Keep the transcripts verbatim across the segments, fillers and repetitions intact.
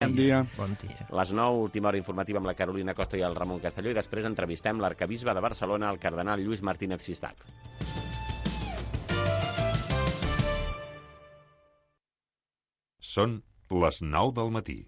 Bon dia. Bon dia. Les nou, última hora informativa amb la Carolina Costa i el Ramon Castelló, i després entrevistem l'arcabisbe de Barcelona, el cardenal Lluís Martínez Sistac. Són les nou del matí.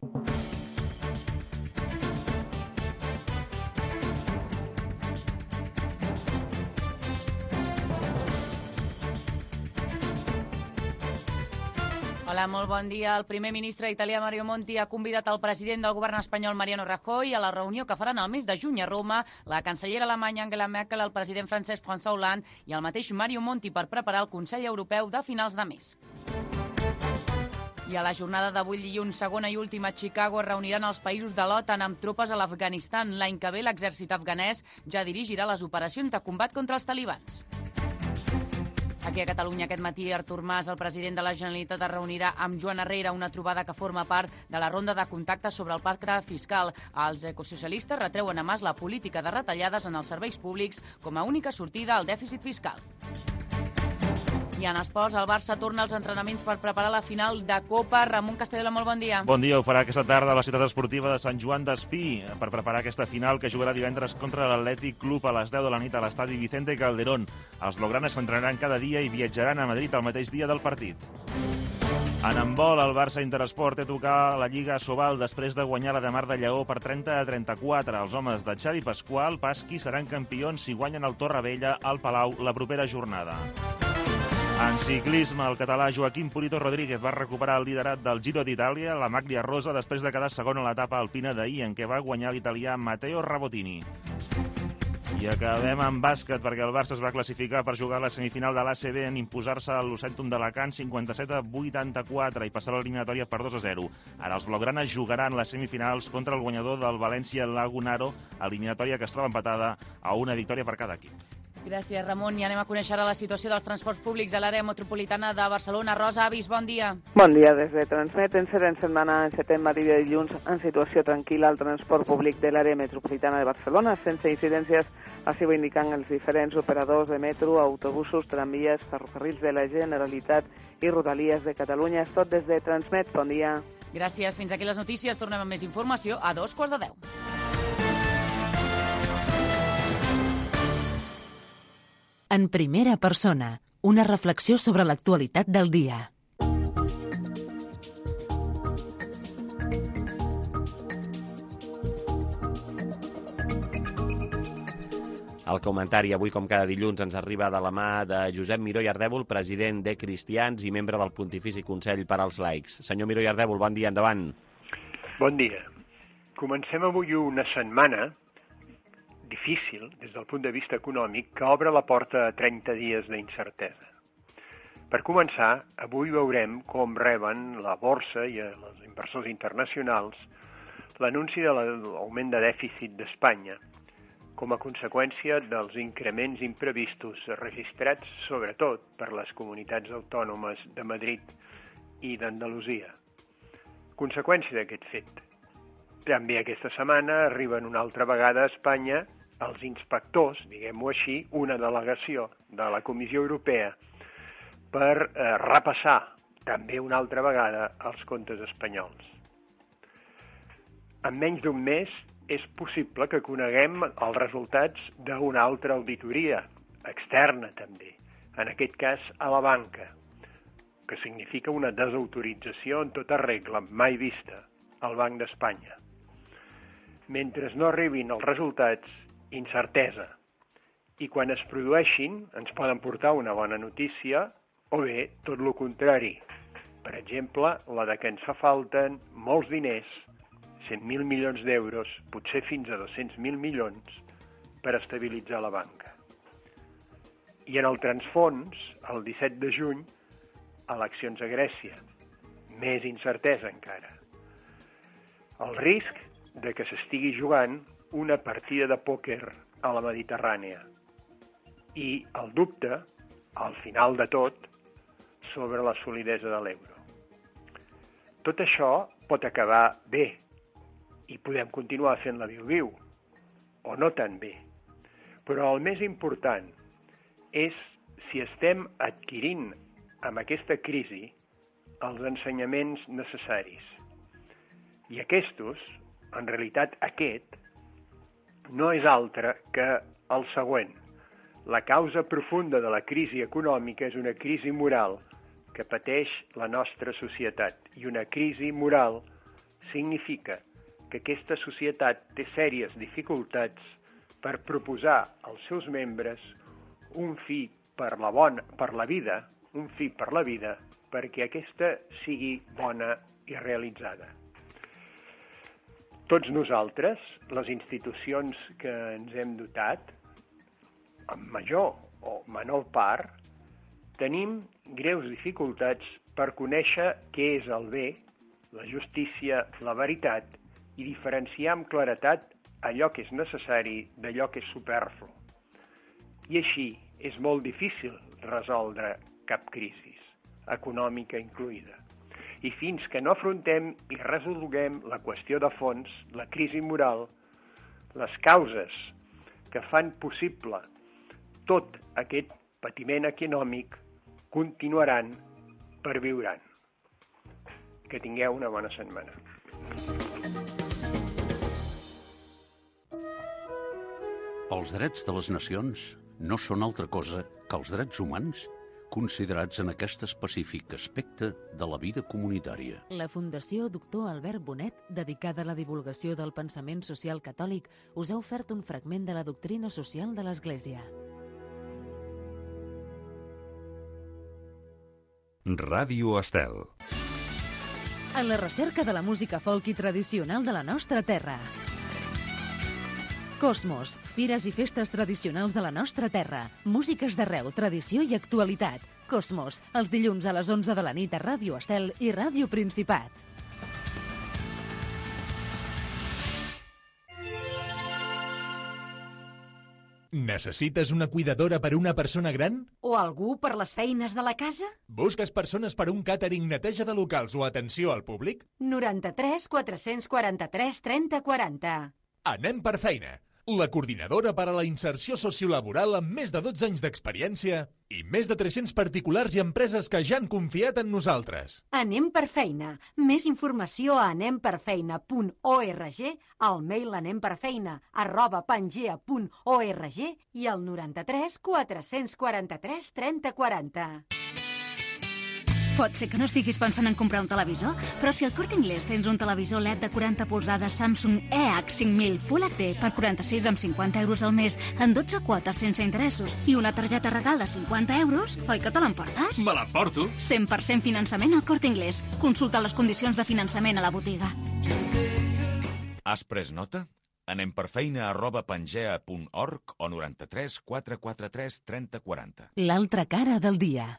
Hola, molt bon dia. El primer ministre italià Mario Monti ha convidat el president del govern espanyol Mariano Rajoy a la reunió que faran el mes de juny a Roma, la cancellera alemanya Angela Merkel, el president francès François Hollande i el mateix Mario Monti per preparar el Consell Europeu de finals de mes. I a la jornada d'avui dilluns, segona i última a Chicago, es reuniran els països de l'OTAN amb tropes a l'Afganistan. L'any que ve l'exèrcit afganès ja dirigirà les operacions de combat contra els talibans. Aquí a Catalunya aquest matí Artur Mas, el president de la Generalitat, es reunirà amb Joan Herrera, una trobada que forma part de la ronda de contactes sobre el pacte fiscal. Els ecosocialistes retreuen a Mas la política de retallades en els serveis públics com a única sortida al dèficit fiscal. I en esports, el Barça torna als entrenaments per preparar la final de Copa. Ramon Castelló, molt bon dia. Bon dia, ho farà aquesta tarda a la ciutat esportiva de Sant Joan d'Espí per preparar aquesta final que jugarà divendres contra l'Atlètic Club a les deu de la nit a l'estadi Vicente Calderón. Els blaugranes s'entrenaran cada dia i viatjaran a Madrid el mateix dia del partit. En handbol, el Barça Interesport té a tocar la Lliga Sobal després de guanyar la de Mar de Lleó per trenta a trenta-quatre. Els homes de Xavi Pasqual, Pasqui, seran campions si guanyen el Torrevella al Palau la propera jornada. En ciclisme, el català Joaquim Purito Rodríguez va recuperar el liderat del Giro d'Itàlia, la Maglia Rosa, després de quedar segon a l'etapa alpina d'ahir, en què va guanyar l'italià Matteo Rabotini. I acabem amb bàsquet, perquè el Barça es va classificar per jugar a la semifinal de l'A C B en imposar-se a l'Ocèntum d'Alacant cinquanta-set a vuitanta-quatre i passar l'eliminatòria per dos a zero. Ara els blaugranes jugaran les semifinals contra el guanyador del València Lagunaro, eliminatòria que es troba empatada a una victòria per cada equip. Gràcies, Ramon. I anem a conèixer la situació dels transports públics a l'àrea metropolitana de Barcelona. Rosa Avis, bon dia. Bon dia. Des de Transmet, en en setmana encetem a dia de dilluns en situació tranquil·la al transport públic de l'àrea metropolitana de Barcelona, sense incidències, així ho indiquen els diferents operadors de metro, autobusos, tramvies, ferrocarrils de la Generalitat i Rodalies de Catalunya. És tot des de Transmet. Bon dia. Gràcies. Fins aquí les notícies. Tornem amb més informació a dos quarts de deu. En primera persona, una reflexió sobre l'actualitat del dia. El comentari avui, com cada dilluns, ens arriba de la mà de Josep Miró i Ardèvol, president de Cristians i membre del Pontifici Consell per als Laics. Senyor Miró i Ardèvol, bon dia, endavant. Bon dia. Comencem avui una setmana difícil, des del punt de vista econòmic, que obre la porta a trenta dies d'incertesa. Per començar, avui veurem com reben la borsa i els inversors internacionals l'anunci de l'augment de dèficit d'Espanya, com a conseqüència dels increments imprevistos registrats sobretot per les comunitats autònomes de Madrid i d'Andalusia. Conseqüència d'aquest fet. També aquesta setmana arriben una altra vegada a Espanya els inspectors, diguem-ho així, una delegació de la Comissió Europea per eh, repassar també una altra vegada els comptes espanyols. En menys d'un mes és possible que coneguem els resultats d'una altra auditoria, externa també, en aquest cas a la banca, que significa una desautorització en tota regla, mai vista, al Banc d'Espanya. Mentre no arribin els resultats, incertesa. I quan es produeixin, ens poden portar una bona notícia o bé tot el contrari. Per exemple, la de que ens fa falten molts diners, cent mil milions d'euros, potser fins a dos-cents mil milions, per estabilitzar la banca. I en el transfons, el disset de juny, eleccions a Grècia. Més incertesa encara. El risc de que s'estigui jugant una partida de pòquer a la Mediterrània. I el dubte, al final de tot, sobre la solidesa de l'euro. Tot això pot acabar bé i podem continuar fent la viu-viu, o no tan bé. Però el més important és si estem adquirint amb aquesta crisi els ensenyaments necessaris. I aquests, en realitat aquest, no és altre que el següent. La causa profunda de la crisi econòmica és una crisi moral que pateix la nostra societat. I una crisi moral significa que aquesta societat té sèries dificultats per proposar als seus membres un fi per la, bona, per la vida, un fi per la vida, perquè aquesta sigui bona i realitzada. Tots nosaltres, les institucions que ens hem dotat, en major o menor part, tenim greus dificultats per conèixer què és el bé, la justícia, la veritat, i diferenciar amb claretat allò que és necessari d'allò que és superflu. I així és molt difícil resoldre cap crisi, econòmica incloïda. I fins que no afrontem i resolguem la qüestió de fons, la crisi moral, les causes que fan possible tot aquest patiment econòmic continuaran, perviuran. Que tingueu una bona setmana. Els drets de les nacions no són altra cosa que els drets humans considerats en aquest específic aspecte de la vida comunitària. La Fundació Doctor Albert Bonet, dedicada a la divulgació del pensament social catòlic, us ha ofert un fragment de la doctrina social de l'Església. Ràdio Estel. En la recerca de la música folk i tradicional de la nostra terra. Cosmos, fires i festes tradicionals de la nostra terra. Músiques d'arreu, tradició i actualitat. Cosmos, els dilluns a les onze de la nit a Ràdio Estel i Ràdio Principat. Necessites una cuidadora per una persona gran? O algú per les feines de la casa? Busques persones per un càtering, neteja de locals o atenció al públic? noranta-tres quatre-cents quaranta-tres trenta quaranta. Anem per feina. La coordinadora per a la inserció sociolaboral amb més de dotze anys d'experiència i més de tres-cents particulars i empreses que ja han confiat en nosaltres. Anem per feina. Més informació a anemperfeina punt org, al mail anemperfeina arroba pangea punt org i al noranta-tres quatre-cents quaranta-tres trenta quaranta. Pot ser que no estiguis pensant en comprar un televisor, però si al Corte Inglés tens un televisor L E D de quaranta polzades Samsung E H cinc mil Full H D per quaranta-sis amb cinquanta euros al mes en dotze quotes sense interessos i una targeta regal de cinquanta euros, oi que te l'emportes? Me l'emporto. cent per cent finançament al Corte Inglés. Consulta les condicions de finançament a la botiga. Has pres nota? Anem per feina arroba pangea punt org o noranta-tres quatre quaranta-tres trenta quaranta. L'altra cara del dia.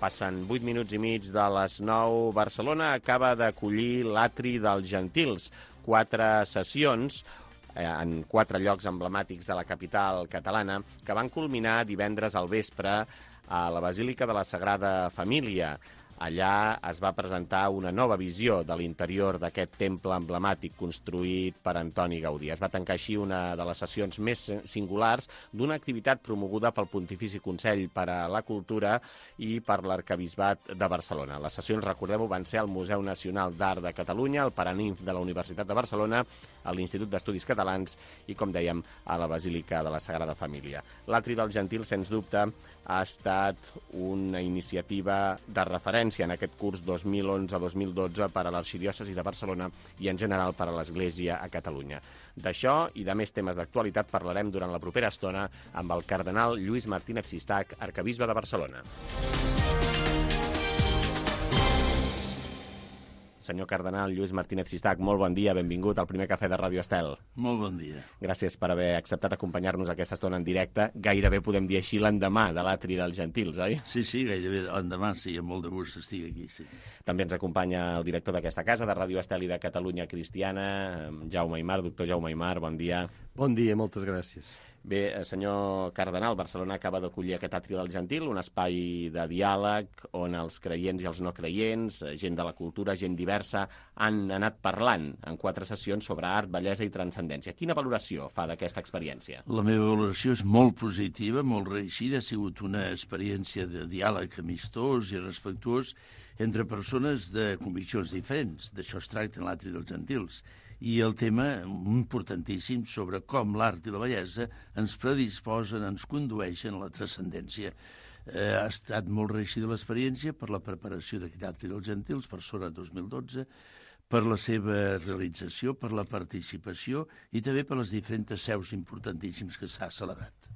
Passen vuit minuts i mig de les nou. Barcelona acaba d'acollir l'Atri dels Gentils. Quatre sessions eh, en quatre llocs emblemàtics de la capital catalana que van culminar divendres al vespre a la Basílica de la Sagrada Família. Allà es va presentar una nova visió de l'interior d'aquest temple emblemàtic construït per Antoni Gaudí. Es va tancar així una de les sessions més singulars d'una activitat promoguda pel Pontifici Consell per a la Cultura i per l'Arquebisbat de Barcelona. Les sessions, recordeu-ho, van ser al Museu Nacional d'Art de Catalunya, al Paraninf de la Universitat de Barcelona, a l'Institut d'Estudis Catalans i, com dèiem, a la Basílica de la Sagrada Família. L'Atri dels Gentils, sens dubte, ha estat una iniciativa de referència en aquest curs dos mil onze dos mil dotze per a l'Arxidiòcesi de Barcelona i, en general, per a l'Església a Catalunya. D'això i de més temes d'actualitat parlarem durant la propera estona amb el cardenal Lluís Martínez Sistac, arquebisbe de Barcelona. Senyor cardenal Lluís Martínez Sistac, molt bon dia, benvingut al primer cafè de Ràdio Estel. Molt bon dia. Gràcies per haver acceptat acompanyar-nos aquesta estona en directe. Gairebé podem dir així l'endemà de l'Atri dels Gentils, oi? Sí, sí, gairebé l'endemà, sí, amb molt de gust estic aquí, sí. També ens acompanya el director d'aquesta casa, de Ràdio Estel i de Catalunya Cristiana, Jaume Aymar. Doctor Jaume Aymar, bon dia. Bon dia, moltes gràcies. Bé, senyor cardenal, Barcelona acaba d'acollir aquest Atri del Gentil, un espai de diàleg on els creients i els no creients, gent de la cultura, gent diversa, han anat parlant en quatre sessions sobre art, bellesa i transcendència. Quina valoració fa d'aquesta experiència? La meva valoració és molt positiva, molt reeixida. Ha sigut una experiència de diàleg amistós i respectuós entre persones de conviccions diferents. D'això es tracta en l'Atri dels Gentils. I el tema importantíssim sobre com l'art i la bellesa ens predisposen, ens condueixen a la transcendència. Eh, ha estat molt reeixida l'experiència per la preparació d'aquest Atri dels Gentils, per Sora dos mil dotze, per la seva realització, per la participació i també per les diferents seus importantíssims que s'ha celebrat.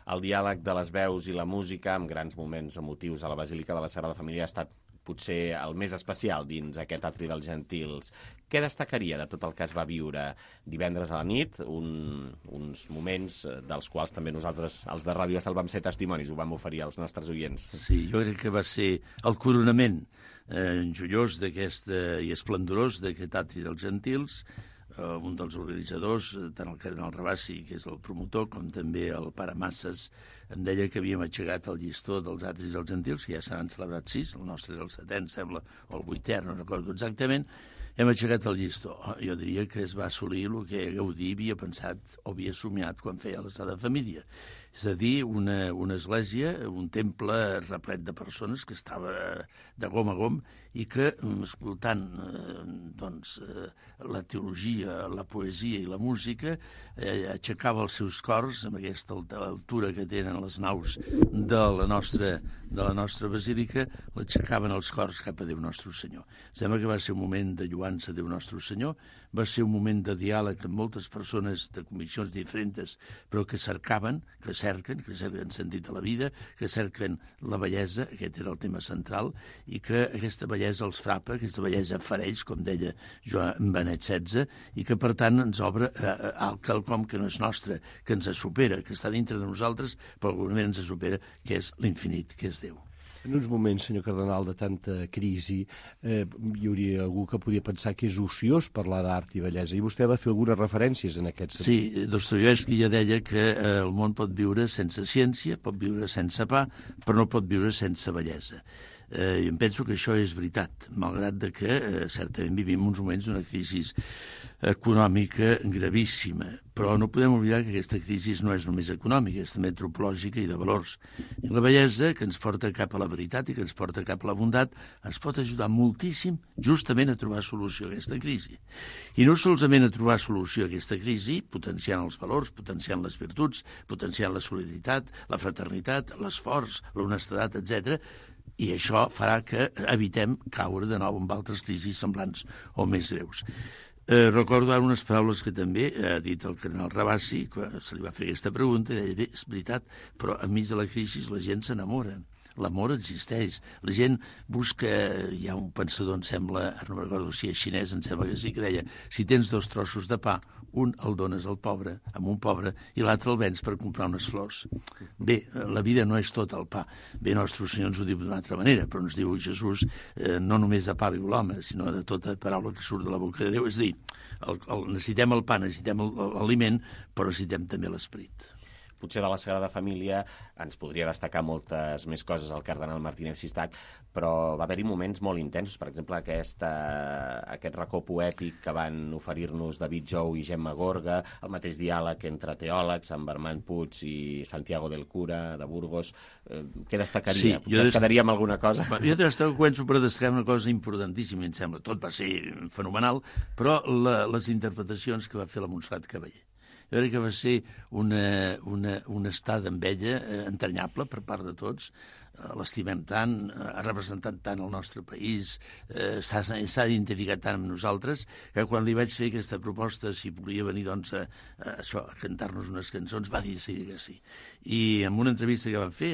El diàleg de les veus i la música, amb grans moments emotius a la Basílica de la Sagrada Família, ha estat potser el més especial dins aquest Atri dels Gentils. Què destacaria de tot el que es va viure divendres a la nit? Un, uns moments dels quals també nosaltres, els de Ràdio Estel, vam ser testimonis, ho vam oferir als nostres oients. Sí, jo crec que va ser el coronament eh, joiós d'aquesta i esplendorós d'aquest Atri dels Gentils. Uh, un dels organitzadors, tant el cardenal Rabassi, que és el promotor, com també el pare Masses, em deia que havíem aixecat el llistó dels Atris dels Gentils, que ja se n'han celebrat sis, el nostre és el setè, em sembla, o el vuitè, no recordo exactament. Hem aixecat el llistó. Jo diria que es va assolir el que Gaudí havia pensat o havia somiat quan feia la Sagrada Família. És a dir, una, una església, un temple replet de persones que estava de gom a gom i que, escoltant eh, doncs, eh, la teologia, la poesia i la música, eh, aixecava els seus cors amb aquesta altura que tenen les naus de la nostra, de la nostra basílica, l'aixecaven els cors cap a Déu Nostre Senyor. Sembla que va ser un moment de lluança a Déu Nostre Senyor, va ser un moment de diàleg amb moltes persones de conviccions diferents, però que cercaven, que cerquen, que cerquen sentit a la vida, que cerquen la bellesa, aquest era el tema central, i que aquesta bellesa els frapa, aquesta bellesa fereix, com deia Joan Benet setze, i que per tant ens obre eh, al quelcom que no és nostre, que ens supera, que està dintre de nosaltres, però d'alguna manera ens supera, que és l'infinit, que és Déu. En uns moments, senyor cardenal, de tanta crisi, eh, hi hauria algú que podia pensar que és ociós parlar d'art i bellesa, i vostè va fer algunes referències en aquest sentit. Sí, Dostoievski ja deia que eh, el món pot viure sense ciència, pot viure sense pa, però no pot viure sense bellesa. Eh, I em penso que això és veritat, malgrat de que eh, certament vivim uns moments d'una crisi econòmica gravíssima, però no podem oblidar que aquesta crisi no és només econòmica, és també antropològica i de valors. I la bellesa, que ens porta cap a la veritat i que ens porta cap a la bondat, ens pot ajudar moltíssim justament a trobar solució a aquesta crisi. I no solament a trobar solució a aquesta crisi, potenciant els valors, potenciant les virtuts, potenciant la solidaritat, la fraternitat, l'esforç, l'honestedat, etcètera, i això farà que evitem caure de nou en altres crisis semblants o més greus. Eh, recordo ara unes paraules que també ha dit el cardenal Rabassi, quan se li va fer aquesta pregunta, i deia, bé, és veritat, però enmig de la crisi la gent s'enamora. L'amor existeix. La gent busca... Hi ha un pensador, em sembla, no recordo si és xinès, em sembla que sí, que deia, si tens dos trossos de pa, un el dones al pobre, amb un pobre, i l'altre el vens per comprar unes flors. Bé, la vida no és tot el pa. Bé, Nostre Senyor ens ho diu d'una altra manera, però ens diu Jesús eh, no només de pa viu l'home, sinó de tota paraula que surt de la boca de Déu. És a dir, el, el, necessitem el pa, necessitem l'aliment, però necessitem també l'esperit. Potser de la Sagrada Família ens podria destacar moltes més coses el cardenal Martínez Sistac, però va haver-hi moments molt intensos, per exemple aquesta, aquest racó poètic que van oferir-nos David Jou i Gemma Gorga, el mateix diàleg entre teòlegs, amb Armand Puig i Santiago del Cura, de Burgos. Eh, què destacaria? Sí, potser es quedaria amb alguna cosa? Jo començo per destacar una cosa importantíssima, em sembla. Tot va ser fenomenal, però la, les interpretacions que va fer la Montserrat Cavaller. Jo crec que va ser una, una, un estat amb ella eh, entranyable per part de tots, l'estimem tant, ha representat tant el nostre país, eh, s'ha identificat tant amb nosaltres, que quan li vaig fer aquesta proposta, si volia venir doncs, a, a, això, a cantar-nos unes cançons, va decidir que sí. I en una entrevista que vam fer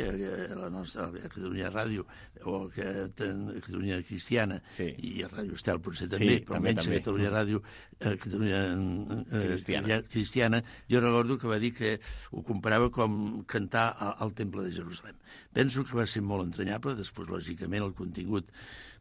a la nostra a Catalunya Ràdio, o a Catalunya Cristiana, sí. i a Ràdio Estel potser també, sí, però també, menys també. A Catalunya Ràdio, a Catalunya eh, Cristiana. Cristiana, jo recordo que va dir que ho comparava com cantar al Temple de Jerusalem. Penso que va ser molt entranyable, després, lògicament, el contingut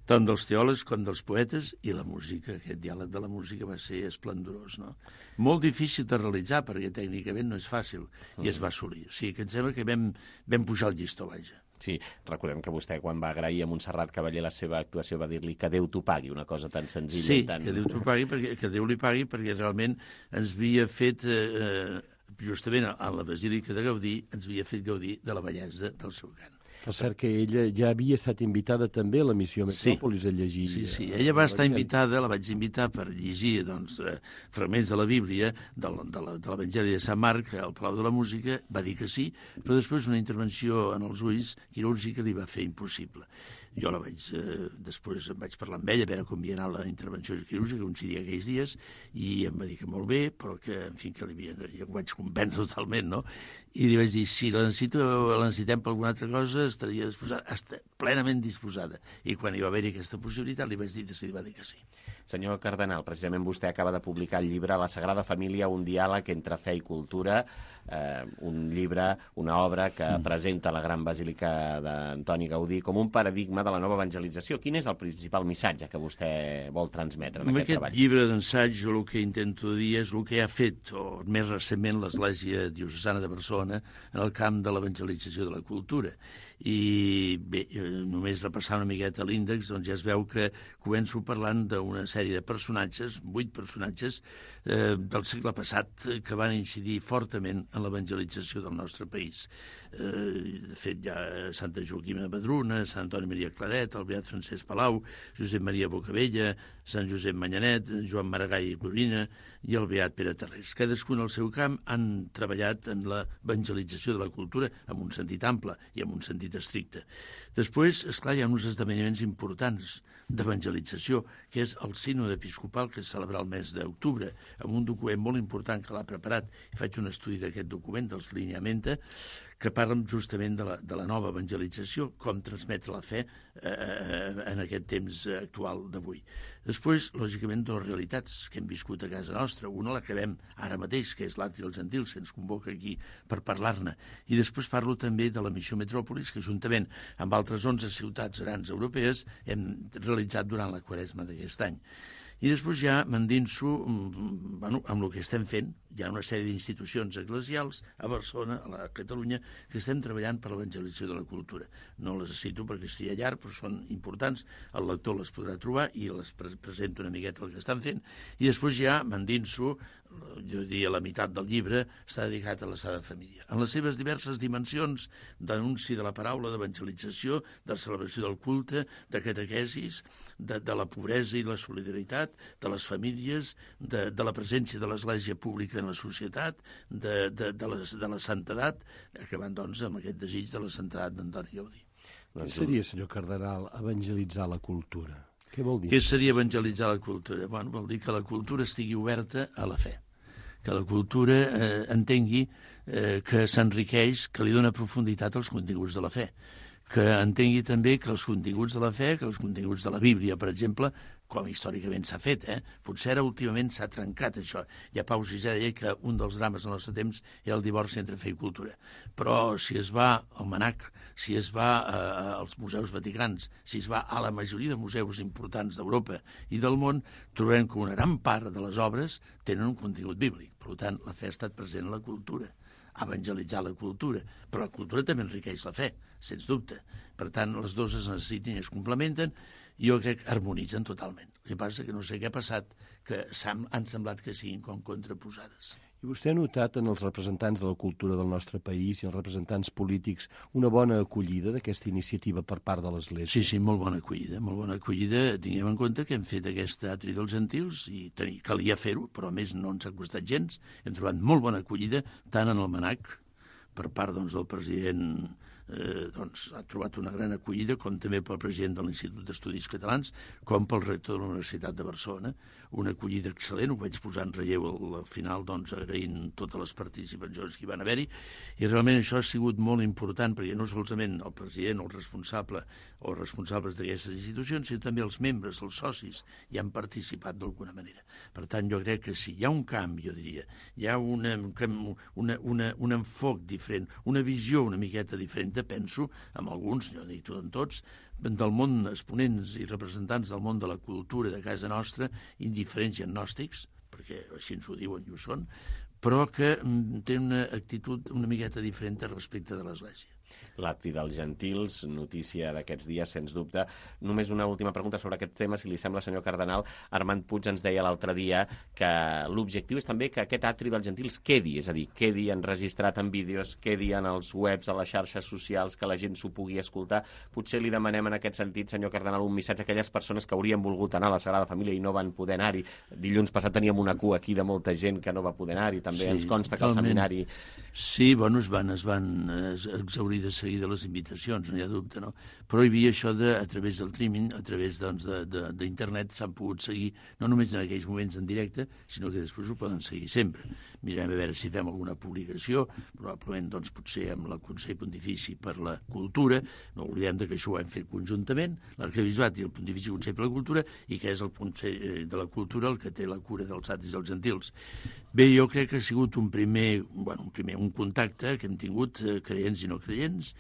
tant dels teòlegs com dels poetes i la música, aquest diàleg de la música va ser esplendorós, no? Molt difícil de realitzar, perquè tècnicament no és fàcil, i es va assolir. O sigui, que em sembla que vam, vam pujar el llistó, vaja. Sí, recordem que vostè, quan va agrair a Montserrat Cavaller la seva actuació, va dir-li que Déu t'ho pagui, una cosa tan senzilla sí, i tan... Sí, que Déu t'ho pagui, perquè, que Déu li pagui, perquè realment ens havia fet... Eh, justament a la Basílica de Gaudí ens havia fet gaudir de la bellesa del seu cant. Per cert que ella ja havia estat invitada també a la missió Metròpolis sí. a llegir... Sí, sí, ella va estar invitada, la vaig invitar per llegir doncs, eh, fragments de la Bíblia, de, de l'Evangeli de Sant Marc, al Palau de la Música, va dir que sí, però després una intervenció en els ulls quirúrgica li va fer impossible. Jo la vaig, eh, després em vaig parlar amb ella, a veure com havia anat la intervenció quirúrgica, coincidia aquells dies, i em va dir que molt bé, però que, en fi, que li havia, ja ho vaig convèncer totalment, no? I li vaig dir, si la, necessito, la necessitem per alguna altra cosa, estaria disposada, està plenament disposada. I quan hi va haver aquesta possibilitat, li vaig dir que sí, va dir que sí. Senyor Cardenal, precisament vostè acaba de publicar el llibre La Sagrada Família, un diàleg entre fe i cultura, eh, un llibre, una obra que mm. presenta la Gran Basílica d'Antoni Gaudí com un paradigma de la nova evangelització. Quin és el principal missatge que vostè vol transmetre en amb aquest, aquest treball? Amb aquest llibre d'ensaig, jo el que intento dir és el que ha fet, o més recentment, l'Església Diocesana de Barcelona en el camp de l'evangelització de la cultura. I bé, només repassar una miqueta l'índex, doncs ja es veu que començo parlant d'una sèrie de personatges, vuit personatges eh, del segle passat que van incidir fortament en l'evangelització del nostre país. Eh, de fet, hi ha Santa Joaquima de Vedruna, Sant Antoni Maria Claret, el beat Francesc Palau, Josep Maria Bocabella, Sant Josep Manyanet, Joan Maragall i Corina i el beat Pere Tarrés. Cadascun al seu camp han treballat en l'evangelització de la cultura en un sentit ample i en un sentit estricte. Després, esclar, hi ha uns esdeveniments importants d'evangelització, que és el sínode episcopal que es celebra el mes d'octubre, amb un document molt important que l'ha preparat. Faig un estudi d'aquest document, dels lineamenta, que parlen justament de la, de la nova evangelització, com transmetre la fe eh, en aquest temps actual d'avui. Després, lògicament, dues realitats que hem viscut a casa nostra. Una la que veiem ara mateix, que és l'Atri dels Gentils, que ens convoca aquí per parlar-ne. I després parlo també de la missió Metròpolis, que juntament amb altres onze ciutats grans europees hem realitzat durant la Quaresma d'aquest any. I després ja m'endinso bueno, amb el que estem fent. Hi ha una sèrie d'institucions eclesials a Barcelona, a la Catalunya, que estem treballant per l'evangelització de la cultura. No les cito perquè estigui llarg, però són importants. El lector les podrà trobar i les pre presento una miqueta el que estan fent. I després ja m'endinso, jo diria la meitat del llibre, està dedicat a la Sagrada Família. En les seves diverses dimensions d'anunci de la paraula, d'evangelització, de celebració del culte, de catequesis, de, de la pobresa i la solidaritat, de les famílies, de, de la presència de l'Església pública en la societat, de, de, de, les, de la santedat, acabant doncs amb aquest desig de la santedat d'Antoni Gaudí. Què seria, senyor Cardenal, evangelitzar la cultura? Què vol dir? Què seria evangelitzar la cultura? Bueno, vol dir que la cultura estigui oberta a la fe, que la cultura eh, entengui eh, que s'enriqueix, que li dona profunditat als continguts de la fe, que entengui també que els continguts de la fe, que els continguts de la Bíblia, per exemple, com històricament s'ha fet, eh? Potser ara últimament s'ha trencat això. Ja Pau sisè deia que un dels drames del nostre temps era el divorci entre fe i cultura. Però si es va al Manac, si es va eh, als museus vaticans, si es va a la majoria de museus importants d'Europa i del món, trobarem que una gran part de les obres tenen un contingut bíblic. Per tant, la fe ha estat present en la cultura, evangelitzar la cultura, però la cultura també enriqueix la fe, sens dubte. Per tant, les dues es necessiten i es complementen, i jo crec que harmonitzen totalment. El que passa que no sé què ha passat, que han semblat que siguin com contraposades. I vostè ha notat en els representants de la cultura del nostre país i els representants polítics una bona acollida d'aquesta iniciativa per part de l'Església? Sí, sí, molt bona acollida, molt bona acollida. Tinguem en compte que hem fet aquest Atri dels Gentils i tenia, calia fer-ho, però a més no ens ha costat gens. Hem trobat molt bona acollida, tant en el Manac, per part doncs, del president eh, doncs, ha trobat una gran acollida, com també pel president de l'Institut d'Estudis Catalans, com pel rector de la Universitat de Barcelona. Una acollida excel·lent, ho vaig posar en relleu al, al final, doncs, agraint totes les participacions que hi van haver-hi, i realment això ha sigut molt important, perquè no solament el president o el responsable o responsables d'aquestes institucions, sinó també els membres, els socis, hi han participat d'alguna manera. Per tant, jo crec que si hi ha un canvi, jo diria, hi ha una, una, una, un enfoc diferent, una visió una miqueta diferent, penso, amb alguns, jo dic en tots, del món, exponents i representants del món de la cultura de casa nostra, indiferents i agnòstics, perquè així ens ho diuen i ho són, però que tenen una actitud una miqueta diferent respecte de l'Església. L'Atri dels Gentils, notícia d'aquests dies, sens dubte. Només una última pregunta sobre aquest tema, si li sembla, senyor Cardenal. Armand Puig ens deia l'altre dia que l'objectiu és també que aquest Atri dels Gentils quedi, és a dir, quedi enregistrat en vídeos, quedi en els webs, a les xarxes socials, que la gent s'ho pugui escoltar. Potser li demanem en aquest sentit, senyor Cardenal, un missatge a aquelles persones que haurien volgut anar a la Sagrada Família i no van poder anar-hi. Dilluns passat teníem una cua aquí de molta gent que no va poder anar-hi. També sí, ens consta que el seminari... Sí, bueno, es van, es van exaurir de seguir de les invitacions, no hi ha dubte, no? Però hi havia això de, a través del streaming, a través doncs, d'internet, s'han pogut seguir, no només en aquells moments en directe, sinó que després ho poden seguir sempre. Mirem a veure si fem alguna publicació, probablement doncs, potser amb el Consell Pontifici per la Cultura, no oblidem que això ho hem fet conjuntament, l'Arquebisbat i el Pontifici Consell per la Cultura, i que és el Consell de la Cultura el que té la cura dels atris dels gentils. Bé, jo crec que ha sigut un primer, bueno, un primer un contacte que hem tingut, eh, creients i no creients,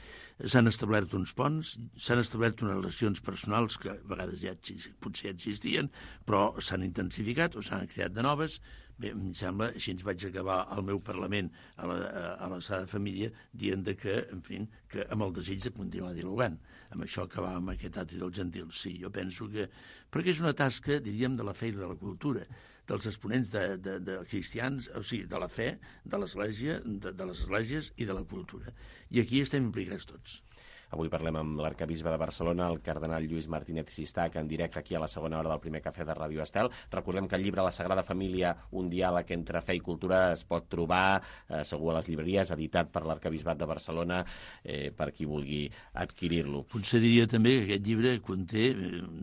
s'han establert uns ponts, s'han establert unes relacions personals que a vegades ja potser ja existien, però s'han intensificat o s'han creat de noves. Bé, em sembla, així ens vaig acabar el meu Parlament a la, a la Sagrada Família dient que, en fi, que amb el desig de continuar dialogant. Amb això acabàvem aquest Atri dels Gentils. Sí, jo penso que... Perquè és una tasca, diríem, de la fe i de la cultura, dels exponents de, de, de cristians, o sigui, de la fe, de l'Església, de, de les esglésies i de la cultura. I aquí estem implicats tots. Avui parlem amb l'arquebisbe de Barcelona, el cardenal Lluís Martínez Sistac, en directe aquí a la segona hora del primer cafè de Ràdio Estel. Recordem que el llibre La Sagrada Família, un diàleg entre fe i cultura, es pot trobar eh, segur a les llibreries, editat per l'arquebisbat de Barcelona, eh, per qui vulgui adquirir-lo. Potser diria també que aquest llibre conté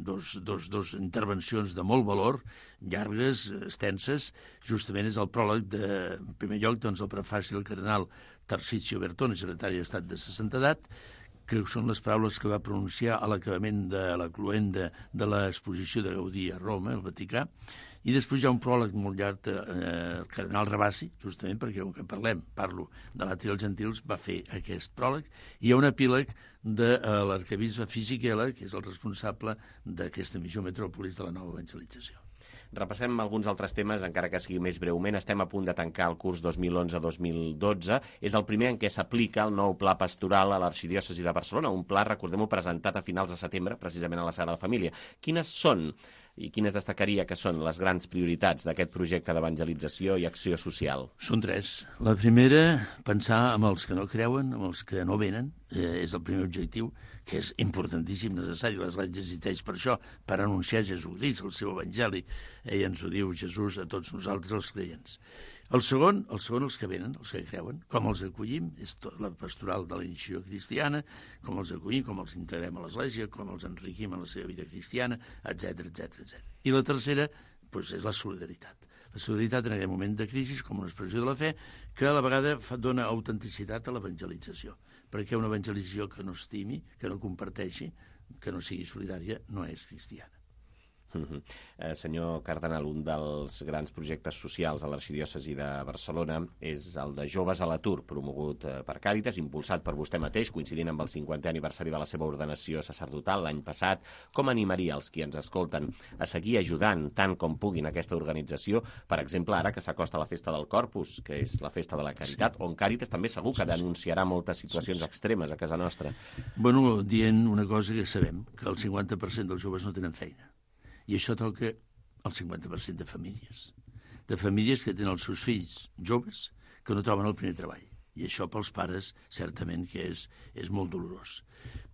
dos, dos, dos intervencions de molt valor, llargues, extenses. Justament és el pròleg de, en primer lloc, doncs, el prefaci del cardenal Tarcisio Bertone, secretari d'Estat de sa Santedat, que són les paraules que va pronunciar a l'acabament de la cloenda de l'exposició de Gaudí a Roma, al Vaticà, i després hi ha un pròleg molt llarg del eh, cardenal Rabassi, justament perquè, com que parlem, parlo de l'Atri dels Gentils, va fer aquest pròleg, i hi ha un epíleg de eh, l'arquebisbe Fisichella, que és el responsable d'aquesta missió Metròpolis de la nova evangelització. Repassem alguns altres temes, encara que sigui més breument. Estem a punt de tancar el curs dos mil onze dos mil dotze. És el primer en què s'aplica el nou pla pastoral a l'Arxidiòcesi de Barcelona, un pla, recordem-ho, presentat a finals de setembre, precisament a la Sagrada Família. Quines són i quines destacaria que són les grans prioritats d'aquest projecte d'evangelització i acció social? Són tres. La primera, pensar amb els que no creuen, amb els que no venen, eh, és el primer objectiu, que és importantíssim, necessari. L'Església existeix per això, per anunciar Jesucrist, el seu evangeli. Ell ens ho diu, Jesús, a tots nosaltres, els creients. El segon, el segon, els que venen, els que creuen, com els acollim, és tot la pastoral de la iniciació cristiana, com els acollim, com els integrem a l'Església, com els enriquim en la seva vida cristiana, etcètera, etcètera, etcètera. I la tercera, doncs, és la solidaritat. La solidaritat en aquest moment de crisi com una expressió de la fe que a la vegada dona autenticitat a l'evangelització, perquè una evangelització que no estimi, que no comparteixi, que no sigui solidària, no és cristiana. Uh-huh. eh, senyor cardenal, un dels grans projectes socials de l'Arxidiòcesi de Barcelona és el de Joves a l'atur, promogut eh, per Càritas, impulsat per vostè mateix, coincidint amb el cinquantè aniversari de la seva ordenació sacerdotal l'any passat. Com animaria els qui ens escolten a seguir ajudant tant com puguin aquesta organització, per exemple, ara que s'acosta la festa del Corpus, que és la festa de la Caritat, sí, on Càritas també segur que denunciarà moltes situacions sí, sí. extremes a casa nostra? Bueno, dient una cosa que sabem, que el cinquanta per cent dels joves no tenen feina. I això toca el cinquanta per cent de famílies. De famílies que tenen els seus fills joves que no troben el primer treball. I això pels pares certament que és, és molt dolorós.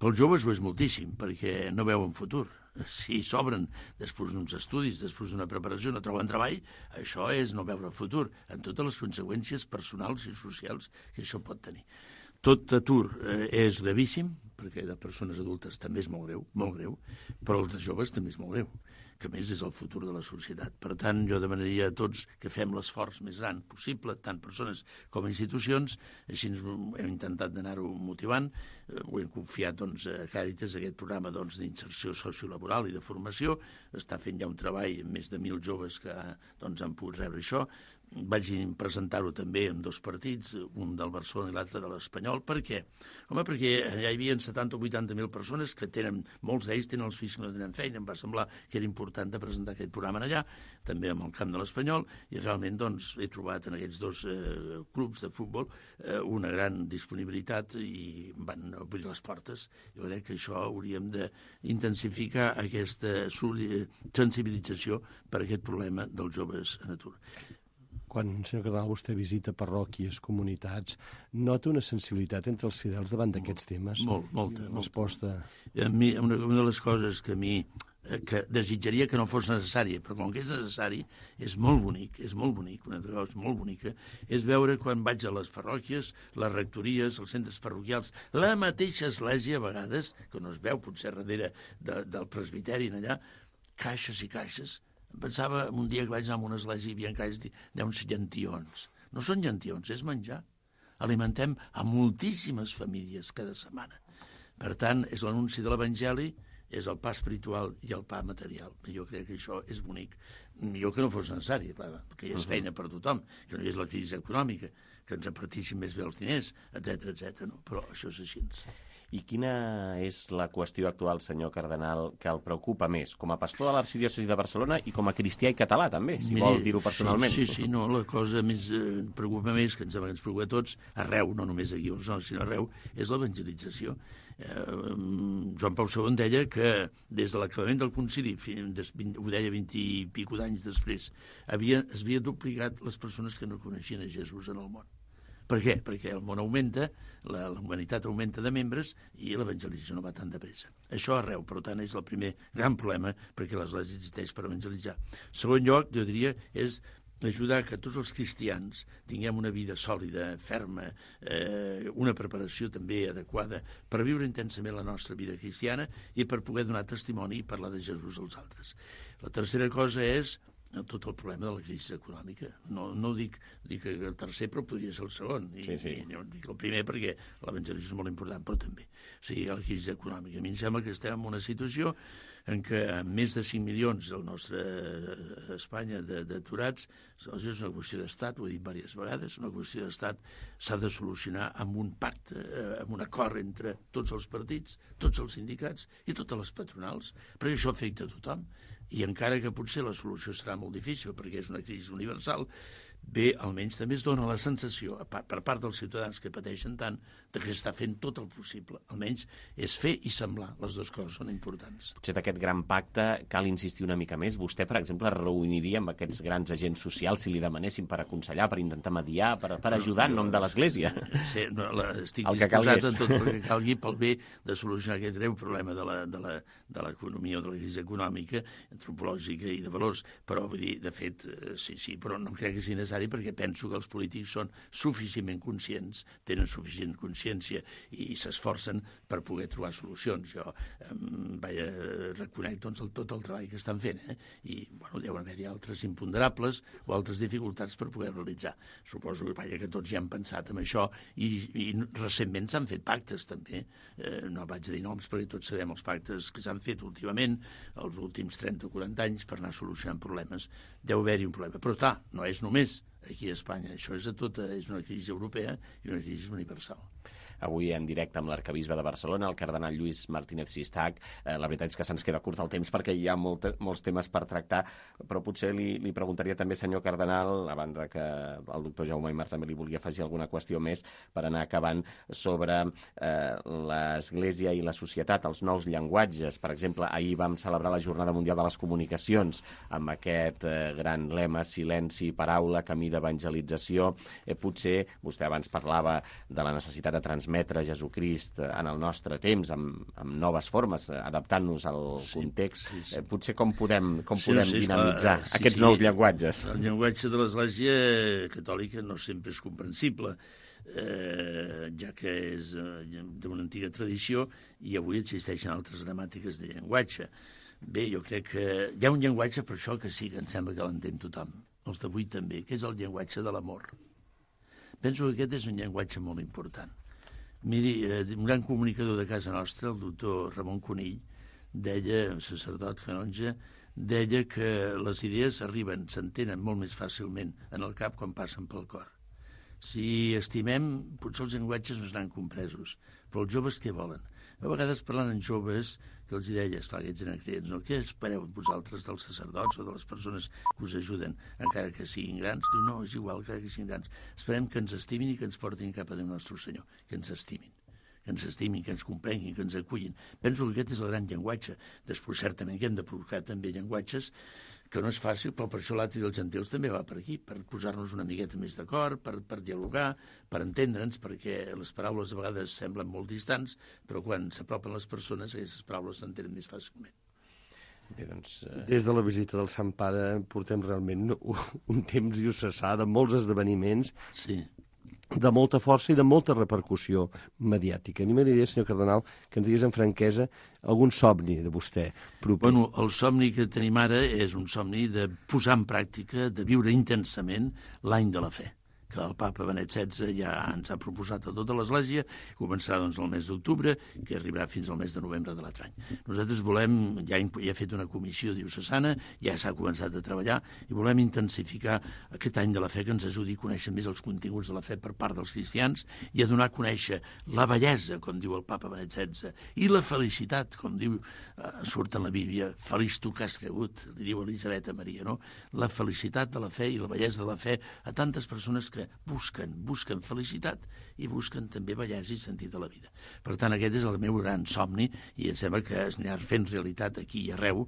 Pels joves ho és moltíssim, perquè no veuen futur. Si s'obren després d'uns estudis, després d'una preparació, no troben treball, això és no veure futur, en totes les conseqüències personals i socials que això pot tenir. tot atur eh, és gravíssim, perquè de persones adultes també és molt greu, molt greu, però els de joves també és molt greu, que a més és el futur de la societat. Per tant, jo demanaria a tots que fem l'esforç més gran possible, tant persones com institucions, així ens hem intentat d'anar-ho motivant, ho hem confiat doncs, a Càritas, aquest programa doncs, d'inserció sociolaboral i de formació, està fent ja un treball amb més de mil joves que doncs, han pogut rebre això. Vaig presentar-ho també en dos partits, un del Barcelona i l'altre de l'Espanyol. Per què? Home, perquè ja hi havia setanta o vuitanta mil persones que tenen, molts d'ells tenen els fills que no tenen feina. Em va semblar que era important de presentar aquest programa allà, també amb el camp de l'Espanyol, i realment doncs, he trobat en aquests dos eh, clubs de futbol eh, una gran disponibilitat i van obrir les portes. Jo crec que això hauríem d'intensificar aquesta sensibilització per aquest problema dels joves en atur. Quan, senyor Cardenal, vostè visita parròquies, comunitats, nota una sensibilitat entre els fidels davant d'aquests temes? Molt, molta. Resposta... A mi, una, una de les coses que a mi que desitjaria que no fos necessària, però com que és necessari, és molt bonic, és molt bonic, una altra cosa molt bonica, és veure quan vaig a les parròquies, les rectories, els centres parroquials, la mateixa església, a vegades, que no es veu potser darrere de, del presbiteri allà, caixes i caixes. Pensava un dia que vaig anar a una església i hi havia caixes d'uns llentions. No són llentions, és menjar. Alimentem a moltíssimes famílies cada setmana. Per tant, és l'anunci de l'Evangeli, és el pa espiritual i el pa material. Jo crec que això és bonic. Millor que no fos necessari, clar, que hi és feina per tothom, que no hi és la crisi econòmica, que ens apartissin més bé els diners, etcètera, etcètera. No? Però això és així. I quina és la qüestió actual, senyor Cardenal, que el preocupa més, com a pastor de l'arxidiòcesi de Barcelona i com a cristià i català, també, si Miri, vol dir-ho personalment? Sí, sí, sí, no, la cosa més eh, preocupa més, que ens, ens preocupa a tots, arreu, no només aquí a Barcelona, sinó arreu, és l'evangelització. Eh, Joan Pau segon deia que des de l'acabament del concili, ho deia vint i pico d'anys després, havia, es havia duplicat les persones que no coneixien a Jesús en el món. Per què? Perquè el món augmenta, la, la humanitat augmenta de membres i l'evangelització no va tan de pressa. Això arreu, per tant, és el primer gran problema perquè l'Església existeix per evangelitzar. Segon lloc, jo diria, és ajudar que tots els cristians tinguem una vida sòlida, ferma, eh, una preparació també adequada per viure intensament la nostra vida cristiana i per poder donar testimoni i parlar de Jesús als altres. La tercera cosa és tot el problema de la crisi econòmica. No, no dic, dic el tercer, però podria ser el segon. I, sí, sí. I no dic el primer perquè l'evangelisme és molt important, però també. O sigui, la crisi econòmica. A mi em sembla que estem en una situació en què amb més de cinc milions del nostre Espanya d'aturats, és una qüestió d'estat, ho he dit diverses vegades, una qüestió d'estat s'ha de solucionar amb un pacte, amb un acord entre tots els partits, tots els sindicats i totes les patronals, perquè això afecta a tothom. I encara que potser la solució serà molt difícil perquè és una crisi universal, bé, almenys també es dona la sensació, per part dels ciutadans que pateixen tant, que està fent tot el possible. Almenys és fer i semblar. Les dues coses són importants. Potser d'aquest gran pacte cal insistir una mica més. Vostè, per exemple, es reuniria amb aquests grans agents socials si li demanessin per aconsellar, per intentar mediar, per, per ajudar en nom de l'Església. Sí, no, la, estic el disposat en tot el que calgui pel bé de solucionar aquest greu problema de la, de la, de l'economia o de la crisi econòmica, antropològica i de valors. Però, vull dir, de fet, sí, sí, però no crec que sigui necessari perquè penso que els polítics són suficientment conscients, tenen suficient consciència i s'esforcen per poder trobar solucions. Jo eh, vaja, reconec doncs, el, tot el treball que estan fent, eh? I bueno, deuen haver-hi altres imponderables o altres dificultats per poder realitzar. Suposo que, vaja, que tots ja han pensat en això i, i recentment s'han fet pactes també. Eh, no vaig dir noms perquè tots sabem els pactes que s'han fet últimament, els últims trenta o quaranta anys, per anar solucionant problemes. Deu haver-hi un problema. Però clar, no és només aquí a Espanya. Això és, a tota, és una crisi europea i una crisi universal. Avui en directe amb l'arcabisbe de Barcelona, el cardenal Lluís Martínez Sistac. Eh, la veritat és que se'ns queda curt el temps perquè hi ha molt, molts temes per tractar, però potser li, li preguntaria també, senyor cardenal, a banda que el doctor Jaume Aymar també li volia afegir alguna qüestió més per anar acabant, sobre eh, l'Església i la societat, els nous llenguatges. Per exemple, ahir vam celebrar la Jornada Mundial de les Comunicacions amb aquest eh, gran lema, silenci, paraula, camí d'evangelització. Eh, potser vostè abans parlava de la necessitat de transmetre Jesucrist en el nostre temps, amb, amb noves formes, adaptant-nos al sí, context. Sí, sí. Eh, potser com podem, com sí, podem sí, dinamitzar sí, aquests sí. nous llenguatges? El llenguatge de l'Església catòlica no sempre és comprensible, eh, ja que és eh, d'una antiga tradició i avui existeixen altres gramàtiques de llenguatge. Bé, jo crec que hi ha un llenguatge per això que sí, que em sembla que l'entén tothom, els d'avui també, que és el llenguatge de l'amor. Penso que aquest és un llenguatge molt important. Miri, eh, un gran comunicador de casa nostra, el doctor Ramon Conill, deia, sacerdot canonge, deia que les idees arriben, s'entenen molt més fàcilment en el cap quan passen pel cor. Si estimem, potser els llenguatges no seran compresos, però els joves què volen? A vegades parlant amb joves que els deia, esclar, aquests eren creients, no? Què espereu vosaltres dels sacerdots o de les persones que us ajuden, encara que siguin grans? Diu, no, és igual, encara que siguin grans. Esperem que ens estimin i que ens portin cap a Déu nostre Senyor, que ens estimin. que ens estimin, que ens comprenguin, que ens acullin. Penso que aquest és el gran llenguatge. Després, certament, que hem de provocar també llenguatges que no és fàcil, però per això l'Atri dels Gentils també va per aquí, per posar-nos una miqueta més d'acord, per, per dialogar, per entendre'ns, perquè les paraules a vegades semblen molt distants, però quan s'apropen les persones, aquestes paraules s'entenen més fàcilment. Bé, doncs, eh... Des de la visita del Sant Pare portem realment un, un temps diocesà de molts esdeveniments, sí, de molta força i de molta repercussió mediàtica. A mi m'agradaria, senyor cardenal, que ens digués amb franquesa algun somni de vostè proper. Bueno, el somni que tenim ara és un somni de posar en pràctica, de viure intensament l'any de la fe, que el papa Benet setze ja ens ha proposat a tota l'Església, començarà doncs el mes d'octubre, que arribarà fins al mes de novembre de l'altre any. Nosaltres volem, ja ha fet una comissió diocesana, ja s'ha començat a treballar, i volem intensificar aquest any de la fe que ens ajudi a conèixer més els continguts de la fe per part dels cristians i a donar a conèixer la bellesa, com diu el papa Benet setze, i la felicitat, com diu, eh, surt en la Bíblia, feliç tu que has cregut, li diu Elisabet a Maria, no? La felicitat de la fe i la bellesa de la fe a tantes persones que busquen, busquen felicitat i busquen també bellesa i sentit de la vida. Per tant, aquest és el meu gran somni i em sembla que es anirà fent realitat aquí i arreu,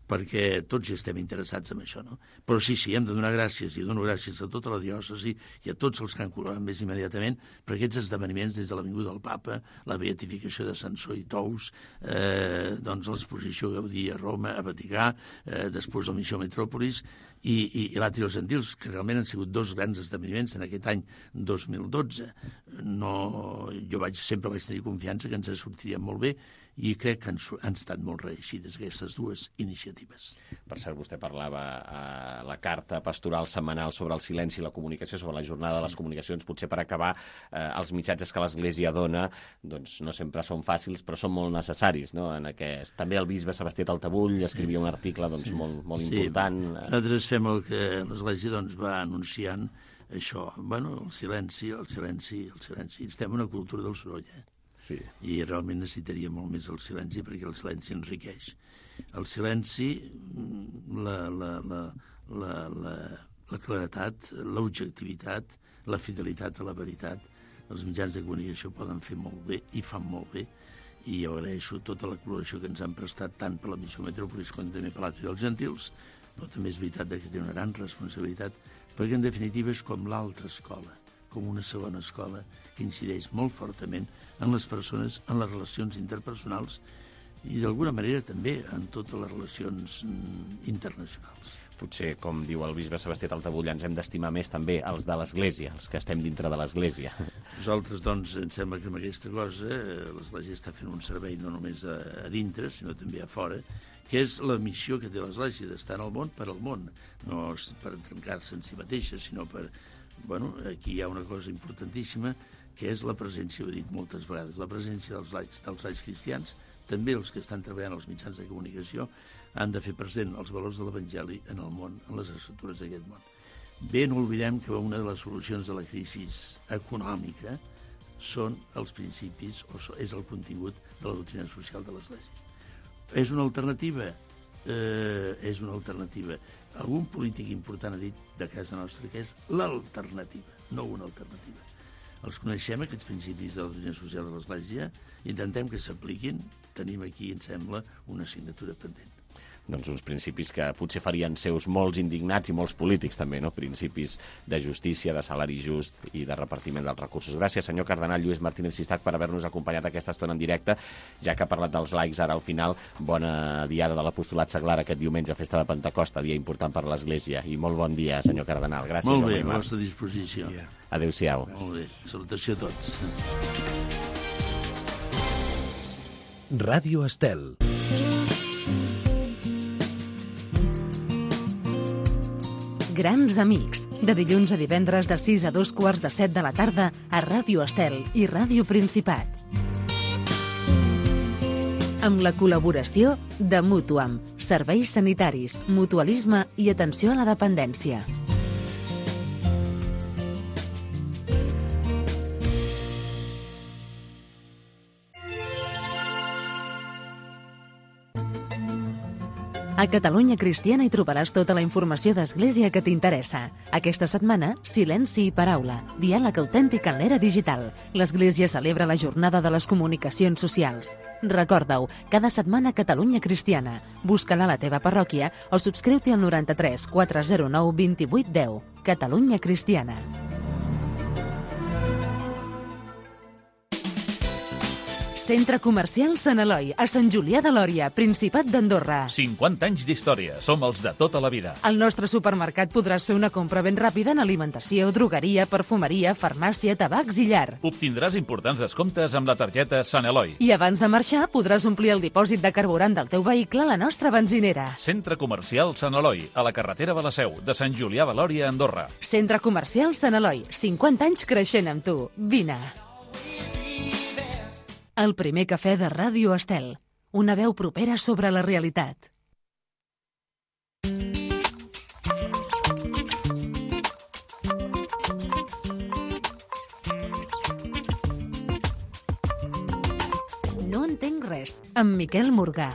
perquè tots hi estem interessats en això, no? Però sí, sí, hem de donar gràcies, i dono gràcies a tota la diòcesi i a tots els que han col·laborat més immediatament per aquests esdeveniments des de la vinguda del papa, la beatificació de Sansó i Tous, eh, doncs l'exposició Gaudí a Roma, a Vaticà, eh, després la missió Metròpolis, i, i, i l'Atri dels Gentils, que realment han sigut dos grans esdeveniments en aquest any dos mil dotze. No, jo vaig, sempre vaig tenir confiança que ens sortiríem molt bé i crec que han, han estat molt reeixides aquestes dues iniciatives. Per cert, vostè parlava a la carta pastoral setmanal sobre el silenci i la comunicació, sobre la jornada sí. de les comunicacions. Potser per acabar, eh, els missatges que l'Església dona doncs no sempre són fàcils, però són molt necessaris, no? En aquest... També el bisbe Sebastià Taltabull escrivia sí. un article doncs, sí. molt, molt sí. important. Nosaltres fem el que l'Església doncs, va anunciant això. Bueno, el silenci, el silenci, el silenci. Estem en una cultura del soroll, eh? Sí. I realment necessitaria molt més el silenci perquè el silenci enriqueix. El silenci, la, la, la, la, la, la claretat, l'objectivitat, la fidelitat a la veritat, els mitjans de comunicació poden fer molt bé i fan molt bé, i jo agraeixo tota la col·laboració que ens han prestat tant per la missió Metròpolis com també per l'Atri dels Gentils, però també és veritat que té una gran responsabilitat perquè en definitiva és com l'altra escola, com una segona escola que incideix molt fortament en les persones, en les relacions interpersonals i d'alguna manera també en totes les relacions internacionals. Potser, com diu el bisbe Sebastià Taltabull, ens hem d'estimar més també els de l'Església, els que estem dintre de l'Església. Nosaltres, doncs, em sembla que amb aquesta cosa l'Església està fent un servei no només a, a dintre, sinó també a fora, que és la missió que té l'Església, d'estar en el món per al món, no per trencar-se en si mateixa, sinó per... Bueno, aquí hi ha una cosa importantíssima, que és la presència, ho he dit moltes vegades, la presència dels laics, dels laics cristians, també els que estan treballant als mitjans de comunicació, han de fer present els valors de l'Evangeli en el món, en les estructures d'aquest món. Bé, no oblidem que una de les solucions de la crisi econòmica són els principis, o és el contingut de la doctrina social de l'Església. És una alternativa? Eh, és una alternativa. Algun polític important ha dit de casa nostra que és l'alternativa, no una alternativa. Els coneixem, aquests principis de la doctrina social de l'Església, intentem que s'apliquin, tenim aquí, em sembla, una assignatura pendent. doncs, uns principis que potser farien seus molts indignats i molts polítics també, no? Principis de justícia, de salari just i de repartiment dels recursos. Gràcies, senyor cardenal Lluís Martínez Sistac, per haver-nos acompanyat aquesta estona en directe, ja que ha parlat dels laics ara al final. Bona diada de l'apostolat seglar aquest diumenge, festa de Pentecosta, dia important per l'Església, i molt bon dia, senyor cardenal. Gràcies. Molt bé, a la vostra disposició. Adéu-siau. Molt bé, salutació a tots. Ràdio Estel. Grans amics, de dilluns a divendres de sis a dos quarts de set de la tarda a Ràdio Estel i Ràdio Principat. Amb la col·laboració de Mutuam, serveis sanitaris, mutualisme i atenció a la dependència. A Catalunya Cristiana hi trobaràs tota la informació d'Església que t'interessa. Aquesta setmana, silenci i paraula, diàleg autèntic en l'era digital. L'Església celebra la jornada de les comunicacions socials. Recorda-ho, cada setmana Catalunya Cristiana. Busca-la a la teva parròquia o subscriu-t'hi al noranta-tres quatre zero nou vint vuit deu. Catalunya Cristiana. Centre Comercial Sant Eloi, a Sant Julià de Lòria, Principat d'Andorra. cinquanta anys d'història. Som els de tota la vida. Al nostre supermercat podràs fer una compra ben ràpida en alimentació, drogueria, perfumeria, farmàcia, tabacs i llar. Obtindràs importants descomptes amb la targeta Sant Eloi. I abans de marxar podràs omplir el dipòsit de carburant del teu vehicle a la nostra benzinera. Centre Comercial Sant Eloi, a la carretera de la Seu, de Sant Julià de Lòria, Andorra. Centre Comercial Sant Eloi, cinquanta anys creixent amb tu. Vine. El primer cafè de Ràdio Estel. Una veu propera sobre la realitat. No entenc res, amb Miquel Morgà.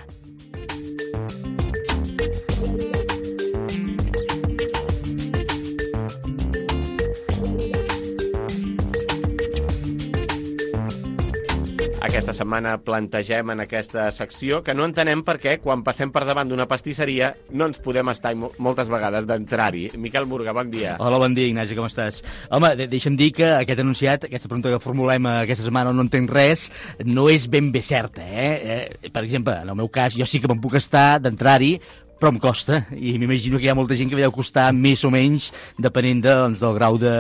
Aquesta setmana plantegem en aquesta secció que no entenem per què, quan passem per davant d'una pastisseria, no ens podem estar moltes vegades d'entrar-hi. Miquel Morgà, bon dia. Hola, bon dia, Ignasi, com estàs? Home, de deixa'm dir que aquest anunciat, aquesta pregunta que formulem aquesta setmana, no entenc res, no és ben bé certa, eh? eh? Per exemple, en el meu cas, jo sí que me'n puc estar d'entrar-hi, però em costa, i m'imagino que hi ha molta gent que deu costar més o menys, depenent de, doncs, del grau de...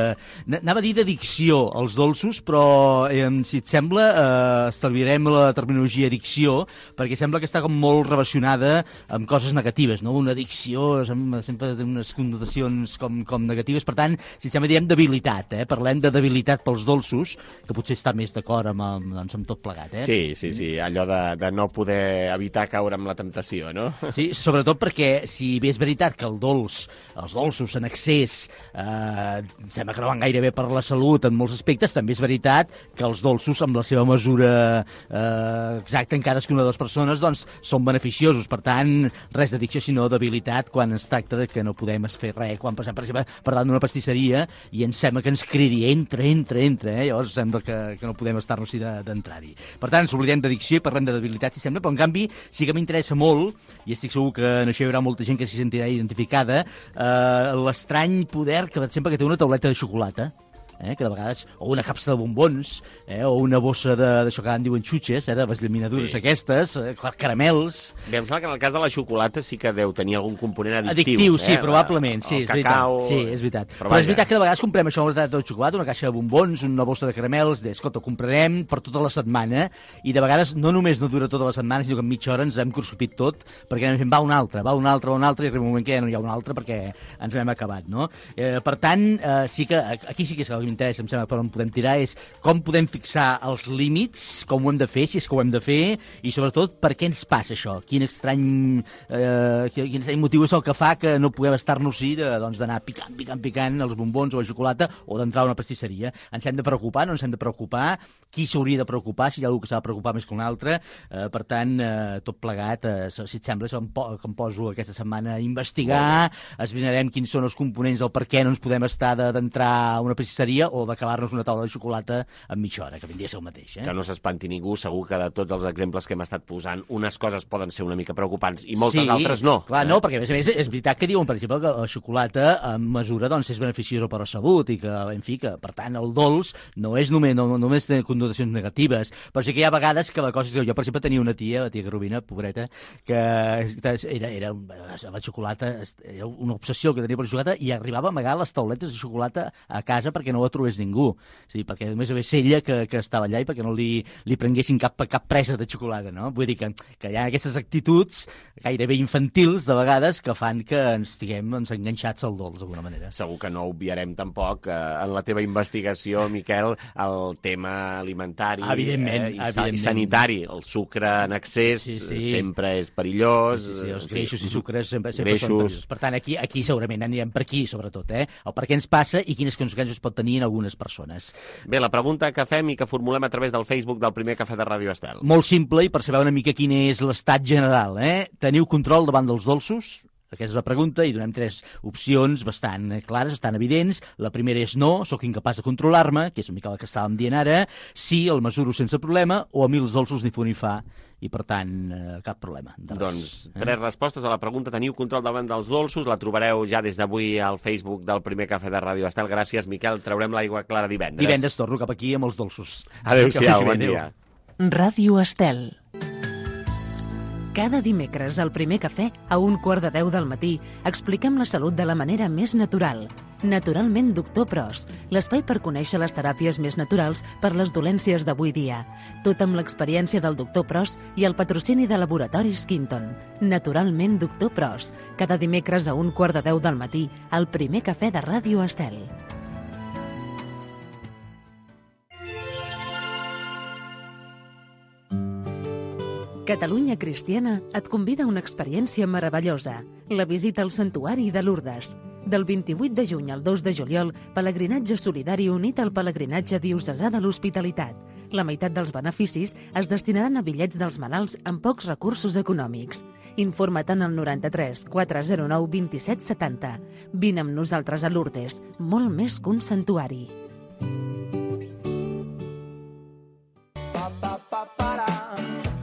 Anava a dir d'addicció als dolços, però, eh, si et sembla, eh, estalviarem la terminologia addicció, perquè sembla que està com molt relacionada amb coses negatives, no? Una addicció sempre té unes connotacions com, com negatives, per tant, si et sembla, diem debilitat, eh? Parlem de debilitat pels dolços, que potser està més d'acord amb, amb, doncs, amb tot plegat, eh? Sí, sí, sí, allò de, de no poder evitar caure amb la temptació, no? Sí, sobretot perquè si bé és veritat que el dolç, els dolços en excés eh, sembla que no van gaire bé per la salut en molts aspectes, també és veritat que els dolços amb la seva mesura eh, exacta en cadascuna de les persones doncs són beneficiosos, per tant res d'addicció sinó debilitat quan es tracta de que no podem fer res, quan passem per exemple per davant d'una pastisseria i ens sembla que ens cridi entra, entra, entra, eh? Llavors sembla que, que no podem estar-nos d'entrar-hi. Per tant, s'oblidem d'addicció i parlem de debilitat, si sembla, però en canvi sí que m'interessa molt, i estic segur que en això hi haurà molta gent que s'hi sentirà identificada, eh, l'estrany poder que, per exemple, que té una tauleta de xocolata, eh, que de vegades, o una capsa de bombons, eh, o una bossa d'això que en diuen xutxes, eh, de les llaminadures sí. aquestes, eh, caramels... Bé, em sembla que en el cas de la xocolata sí que deu tenir algun component addictiu. Addictiu, sí, eh? probablement, sí, el és cacau... veritat. Sí, és veritat. Però, Però és veritat que de vegades comprem això, una tauleta de xocolata, una caixa de bombons, una bossa de caramels, de, escolta, ho comprarem per tota la setmana, i de vegades no només no dura tota la setmana, sinó que en mitja hora ens hem consumit tot, perquè anem fent, va un altre, va un altre, va un altre, i arriba un moment que ja no hi ha un altre perquè ens hem acabat, no? Eh, per tant, eh, sí que, aquí sí que és el que m'interessa, em sembla, per on podem tirar, és com podem fixar els límits, com ho hem de fer, si és que ho hem de fer, i sobretot per què ens passa això, quin estrany, eh, quin estrany motiu és el que fa que no puguem estar-nos-hi doncs, d'anar picant, picant, picant els bombons o la xocolata o d'entrar a una pastisseria. Ens hem de preocupar, no ens hem de preocupar, qui s'hauria de preocupar, si hi ha algú que s'ha de preocupar més que un altre, eh, per tant, eh, tot plegat, eh, si et sembla, em, po que em poso aquesta setmana a investigar, esbrinarem quins són els components del per què no ens podem estar d'entrar a una pastisseria dia o d'acabar-nos una taula de xocolata en mitja hora, que vindria a ser el mateix. Eh? Que no s'espanti ningú, segur que de tots els exemples que hem estat posant, unes coses poden ser una mica preocupants i moltes sí, altres no. Clar, no, perquè a més a més és veritat que diuen, per exemple, que la xocolata en mesura doncs, és beneficiosa per a la salut i que, en fi, que per tant el dolç no és només, no, només té connotacions negatives, però sí que hi ha vegades que la cosa és que jo, per exemple, tenia una tia, la tia Carolina, pobreta, que era, era la xocolata, era una obsessió que tenia per la xocolata i arribava a amagar les tauletes de xocolata a casa perquè no la trobés ningú. Sí, perquè només a més ella que, que estava allà i perquè no li, li prenguessin cap, cap presa de xocolata, no? Vull dir que, que hi ha aquestes actituds gairebé infantils, de vegades, que fan que ens estiguem doncs, enganxats al dolç, d'alguna manera. Segur que no obviarem tampoc eh, en la teva investigació, Miquel, el tema alimentari evidentment, eh, i, evidentment. i sanitari. El sucre en excés sí, sí. sempre és perillós. Sí, sí, sí, els greixos i sucres sempre, sempre són perillosos. Per tant, aquí, aquí segurament anirem per aquí, sobretot, eh? El per què ens passa i quines conseqüències pot tenir en algunes persones. Bé, la pregunta que fem i que formulem a través del Facebook del primer Cafè de Ràdio Estel. Molt simple i per saber una mica quin és l'estat general, eh? Teniu control davant dels dolços? Aquesta és la pregunta i donem tres opcions bastant clares, bastant evidents. La primera és no, sóc incapaç de controlar-me, que és una mica la que estàvem dient ara. Sí, el mesuro sense problema, o a mi els dolços ni fu ni fa, i per tant eh, cap problema. Doncs tres eh? respostes a la pregunta. Teniu control davant dels dolços? La trobareu ja des d'avui al Facebook del primer Cafè de Ràdio Estel. Gràcies, Miquel. Traurem l'aigua clara divendres. Divendres torno cap aquí amb els dolços. Adéu-siau, bon dia. Ràdio Estel. Cada dimecres al primer cafè, a un quart de deu del matí, expliquem la salut de la manera més natural. Naturalment Doctor Pros, l'espai per conèixer les teràpies més naturals per les dolències d'avui dia. Tot amb l'experiència del Doctor Pros i el patrocini de Laboratoris Quinton. Naturalment Doctor Pros, cada dimecres a un quart de deu del matí, al primer cafè de Ràdio Estel. Catalunya Cristiana et convida a una experiència meravellosa, la visita al Santuari de Lourdes. Del vint-i-vuit de juny al dos de juliol, pelegrinatge solidari unit al pelegrinatge diocesà de l'Hospitalitat. La meitat dels beneficis es destinaran a bitllets dels malalts amb pocs recursos econòmics. Informa't en el noranta-tres quatre zero nou vint-i-set setanta. Vine amb nosaltres a Lourdes, molt més que un santuari.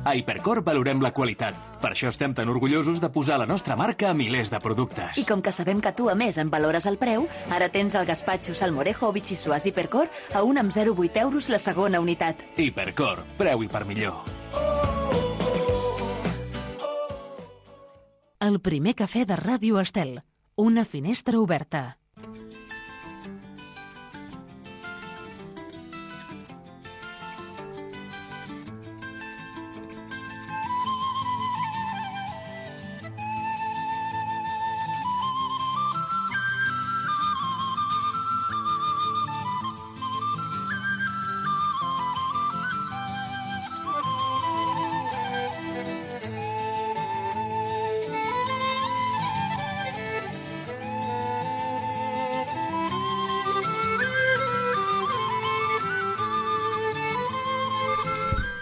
A Hipercor valorem la qualitat. Per això estem tan orgullosos de posar la nostra marca a milers de productes. I com que sabem que tu, a més, en valores el preu, ara tens el gaspatxo salmorejo o bitxissuàs Hipercor a un amb zero coma vuit euros la segona unitat. Hipercor, preu i per millor. El primer cafè de Ràdio Estel. Una finestra oberta.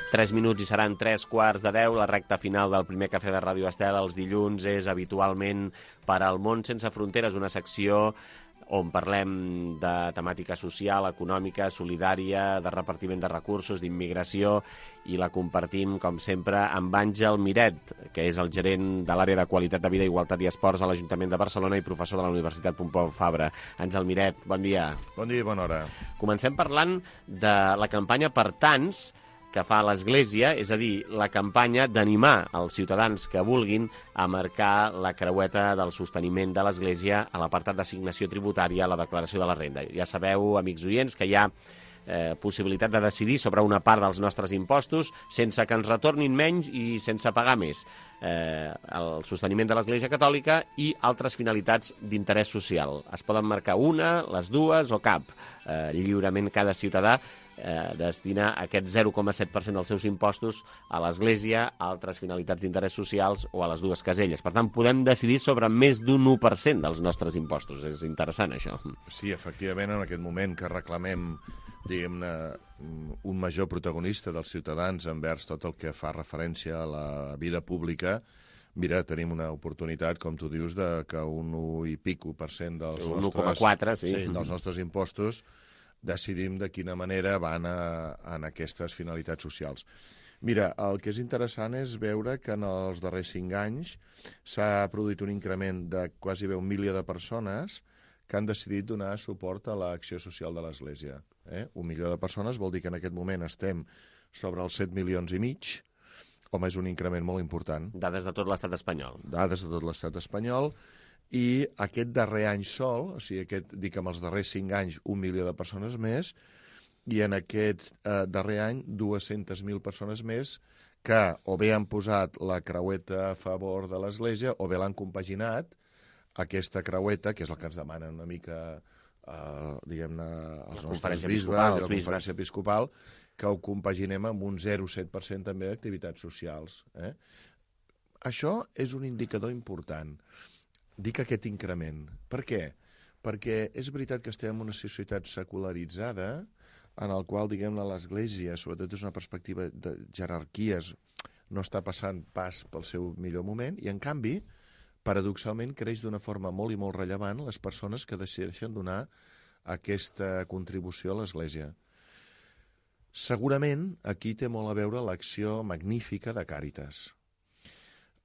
Tres minuts i seran tres quarts de deu, la recta final del primer Cafè de Ràdio Estel. Els dilluns és habitualment per al Món Sense Fronteres, una secció on parlem de temàtica social, econòmica, solidària, de repartiment de recursos, d'immigració, i la compartim, com sempre, amb Àngel Miret, que és el gerent de l'àrea de qualitat de vida, igualtat i esports a l'Ajuntament de Barcelona i professor de la Universitat Pompeu Fabra. Àngel Miret, bon dia. Bon dia i bona hora. Comencem parlant de la campanya Per Tants, que fa l'Església, és a dir, la campanya d'animar els ciutadans que vulguin a marcar la creueta del sosteniment de l'Església a l'apartat d'assignació tributària a la declaració de la renda. Ja sabeu, amics oients, que hi ha eh, possibilitat de decidir sobre una part dels nostres impostos sense que ens retornin menys i sense pagar més. Eh, el sosteniment de l'Església Catòlica i altres finalitats d'interès social. Es poden marcar una, les dues o cap. Eh, lliurement cada ciutadà Eh, destina aquest zero coma set per cent dels seus impostos a l'Església, a altres finalitats d'interès socials o a les dues caselles. Per tant, podem decidir sobre més d'un u per cent dels nostres impostos. És interessant, això. Sí, efectivament, en aquest moment que reclamem, diguem-ne, un major protagonista dels ciutadans envers tot el que fa referència a la vida pública, mira, tenim una oportunitat, com tu dius, de que un u i pico per cent dels, un nostres, u coma quatre, sí. Sí, dels nostres impostos decidim de quina manera van a, en aquestes finalitats socials. Mira, el que és interessant és veure que en els darrers cinc anys s'ha produït un increment de quasi bé un milió de persones que han decidit donar suport a l'acció social de l'Església. Eh? Un milió de persones vol dir que en aquest moment estem sobre els set milions i mig. Home, és un increment molt important. Dades de tot l'estat espanyol. Dades de tot l'estat espanyol. I aquest darrer any sol, o sigui, aquest, dic amb els darrers cinc anys, un milió de persones més, i en aquest eh, darrer any, dues-centes mil persones més que o bé han posat la creueta a favor de l'Església o bé l'han compaginat, aquesta creueta, que és el que ens demanen una mica, eh, diguem-ne, els nostres bisbes i la conferència episcopal, que ho compaginem amb un zero coma set per cent també d'activitats socials. Eh? Això és un indicador important. Dic aquest increment. Per què? Perquè és veritat que estem en una societat secularitzada en el qual, diguem-ne, l'Església, sobretot des d'una perspectiva de jerarquies, no està passant pas pel seu millor moment, i en canvi, paradoxalment, creix d'una forma molt i molt rellevant les persones que decideixen donar aquesta contribució a l'Església. Segurament, aquí té molt a veure l'acció magnífica de Càritas.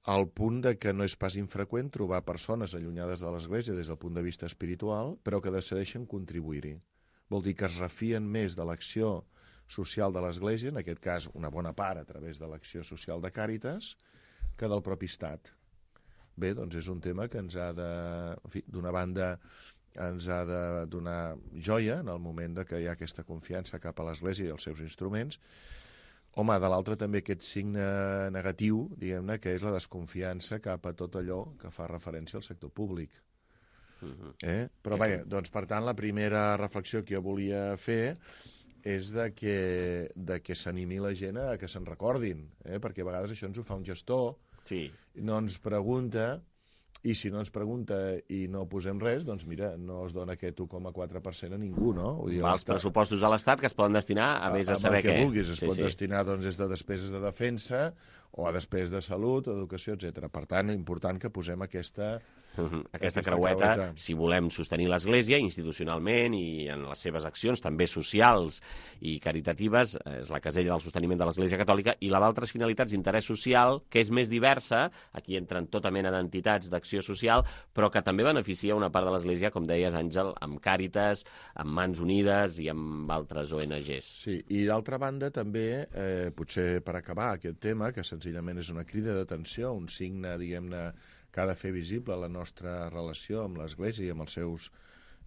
Al punt de que no és pas infreqüent trobar persones allunyades de l'Església des del punt de vista espiritual, però que decideixen contribuir-hi. Vol dir que es refien més de l'acció social de l'Església, en aquest cas una bona part a través de l'acció social de Càritas, que del propi Estat. Bé, doncs és un tema que ens ha de, en fi, d'una banda, ens ha de donar joia en el moment de que hi ha aquesta confiança cap a l'Església i els seus instruments. Home, de l'altre també aquest signe negatiu, diguem-ne, que és la desconfiança cap a tot allò que fa referència al sector públic. Eh? Però bé, doncs per tant la primera reflexió que jo volia fer és de que, de que s'animi la gent a que se'n recordin, eh? Perquè a vegades això ens ho fa un gestor, sí. No ens pregunta, i si no ens pregunta i no posem res, doncs mira, no es dona aquest u coma quatre per cent a ningú, no? Vull dir, els pressupostos a l'Estat que es poden destinar a més a saber què. A el que vulguis, es sí, pot sí. destinar doncs, des de despeses de defensa o a despeses de salut, educació, etcètera. Per tant, important que posem aquesta... Uh -huh. Aquesta, aquesta creueta, creueta, si volem sostenir l'Església institucionalment i en les seves accions, també socials i caritatives, és la casella del sosteniment de l'Església Catòlica, i la d'altres finalitats d'interès social, que és més diversa, aquí entren tota mena d'entitats d'acció social, però que també beneficia una part de l'Església, com deies, Àngel, amb Càritas, amb Mans Unides i amb altres O N Ges. Sí, i d'altra banda també, eh, potser per acabar aquest tema, que senzillament és una crida d'atenció, un signe, diguem-ne, que ha de fer visible la nostra relació amb l'Església i amb els seus,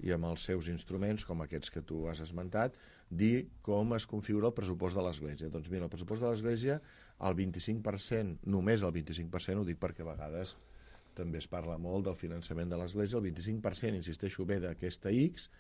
i amb els seus instruments, com aquests que tu has esmentat, dir com es configura el pressupost de l'Església. Doncs mira, el pressupost de l'Església, el vint-i-cinc per cent, només el vint-i-cinc per cent, ho dic perquè a vegades també es parla molt del finançament de l'Església, el vint-i-cinc per cent, insisteixo, ve d'aquesta X,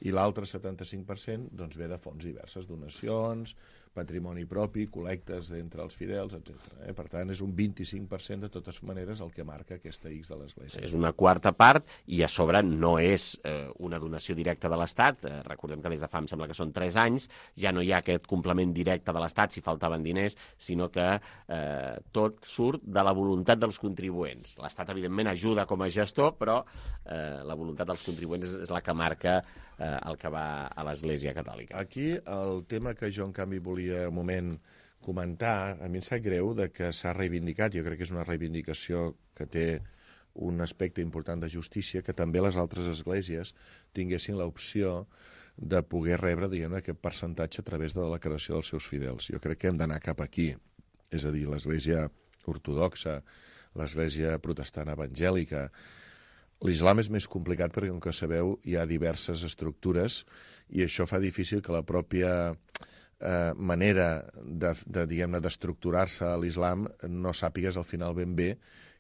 i l'altre setanta-cinc per cent doncs, ve de fonts diverses, donacions, patrimoni propi, col·lectes entre els fidels, etcètera. Eh? Per tant, és un vint-i-cinc per cent de totes maneres el que marca aquesta X de l'Església. És una quarta part i a sobre no és eh, una donació directa de l'Estat. Eh, recordem que des de fa, em sembla que són tres anys, ja no hi ha aquest complement directe de l'Estat si faltaven diners, sinó que eh, tot surt de la voluntat dels contribuents. L'Estat, evidentment, ajuda com a gestor, però eh, la voluntat dels contribuents és, és la que marca eh, el que va a l'Església Catòlica. Aquí el tema que jo, en canvi, volia un moment comentar, a mi em sap greu de que s'ha reivindicat, jo crec que és una reivindicació que té un aspecte important de justícia, que també les altres esglésies tinguessin l'opció de poder rebre, diguem, aquest percentatge a través de la declaració dels seus fidels. Jo crec que hem d'anar cap aquí, és a dir, l'església ortodoxa, l'església protestant evangèlica. L'islam és més complicat perquè, com que sabeu, hi ha diverses estructures i això fa difícil que la pròpia eh, manera de, de, diguem-ne, d'estructurar-se a l'islam no sàpigues al final ben bé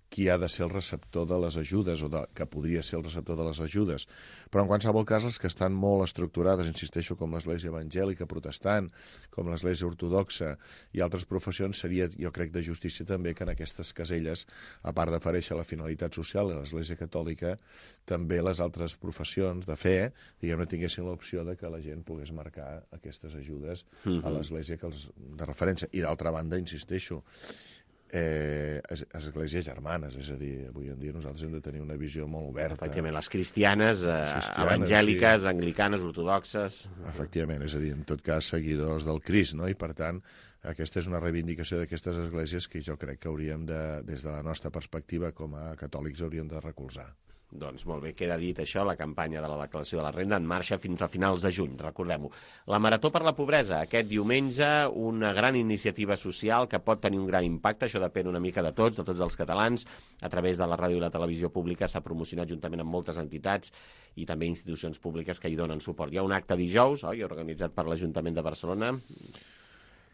qui ha de ser el receptor de les ajudes, o de, que podria ser el receptor de les ajudes. Però en qualsevol cas, les que estan molt estructurades, insisteixo, com l'església evangèlica protestant, com l'església ortodoxa i altres professions, seria, jo crec, de justícia també que en aquestes caselles, a part d'aparèixer la finalitat social de l'església catòlica, també les altres professions de fe, diguem-ne, tinguessin l'opció de que la gent pogués marcar aquestes ajudes mm-hmm. a l'església que els, de referència. I d'altra banda, insisteixo, eh, es, esglésies germanes, és a dir, avui en dia nosaltres hem de tenir una visió molt oberta. Efectivament, les cristianes, eh, cristianes evangèliques, sí. anglicanes, ortodoxes... Efectivament, és a dir, en tot cas, seguidors del Crist, no? I per tant, aquesta és una reivindicació d'aquestes esglésies que jo crec que hauríem de, des de la nostra perspectiva com a catòlics, hauríem de recolzar. Doncs molt bé, queda dit això, la campanya de la declaració de la renda en marxa fins a finals de juny, recordem-ho. La Marató per la Pobresa, aquest diumenge, una gran iniciativa social que pot tenir un gran impacte, això depèn una mica de tots, de tots els catalans, a través de la ràdio i la televisió pública s'ha promocionat juntament amb moltes entitats i també institucions públiques que hi donen suport. Hi ha un acte dijous, oi, organitzat per l'Ajuntament de Barcelona.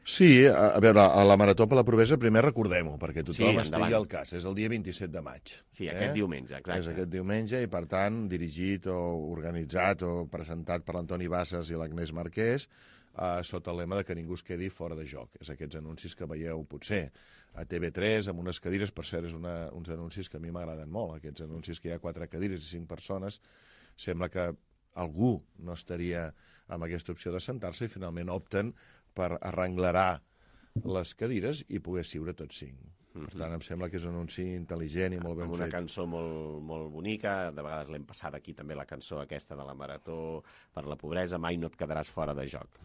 Sí, a, a veure, a la Marató per la Pobresa primer recordem-ho, perquè tothom Sí, estigui endavant. al cas. És el dia vint-i-set de maig. Sí, aquest diumenge, exacte. És aquest diumenge i, per tant, dirigit o organitzat o presentat per l'Antoni Bassas i l'Agnès Marquès, eh, sota el lema de que ningú es quedi fora de joc. És aquests anuncis que veieu, potser, a T V tres, amb unes cadires, per cert, és una, uns anuncis que a mi m'agraden molt, aquests anuncis que hi ha quatre cadires i cinc persones, sembla que algú no estaria amb aquesta opció de sentar-se i finalment opten per arrenglerar les cadires i poder siure tots cinc. Per tant, em sembla que és un anunci intel·ligent i molt ben amb una fet. cançó molt, molt bonica, de vegades l'hem passat aquí també la cançó aquesta de la Marató per la Pobresa, mai no et quedaràs fora de joc.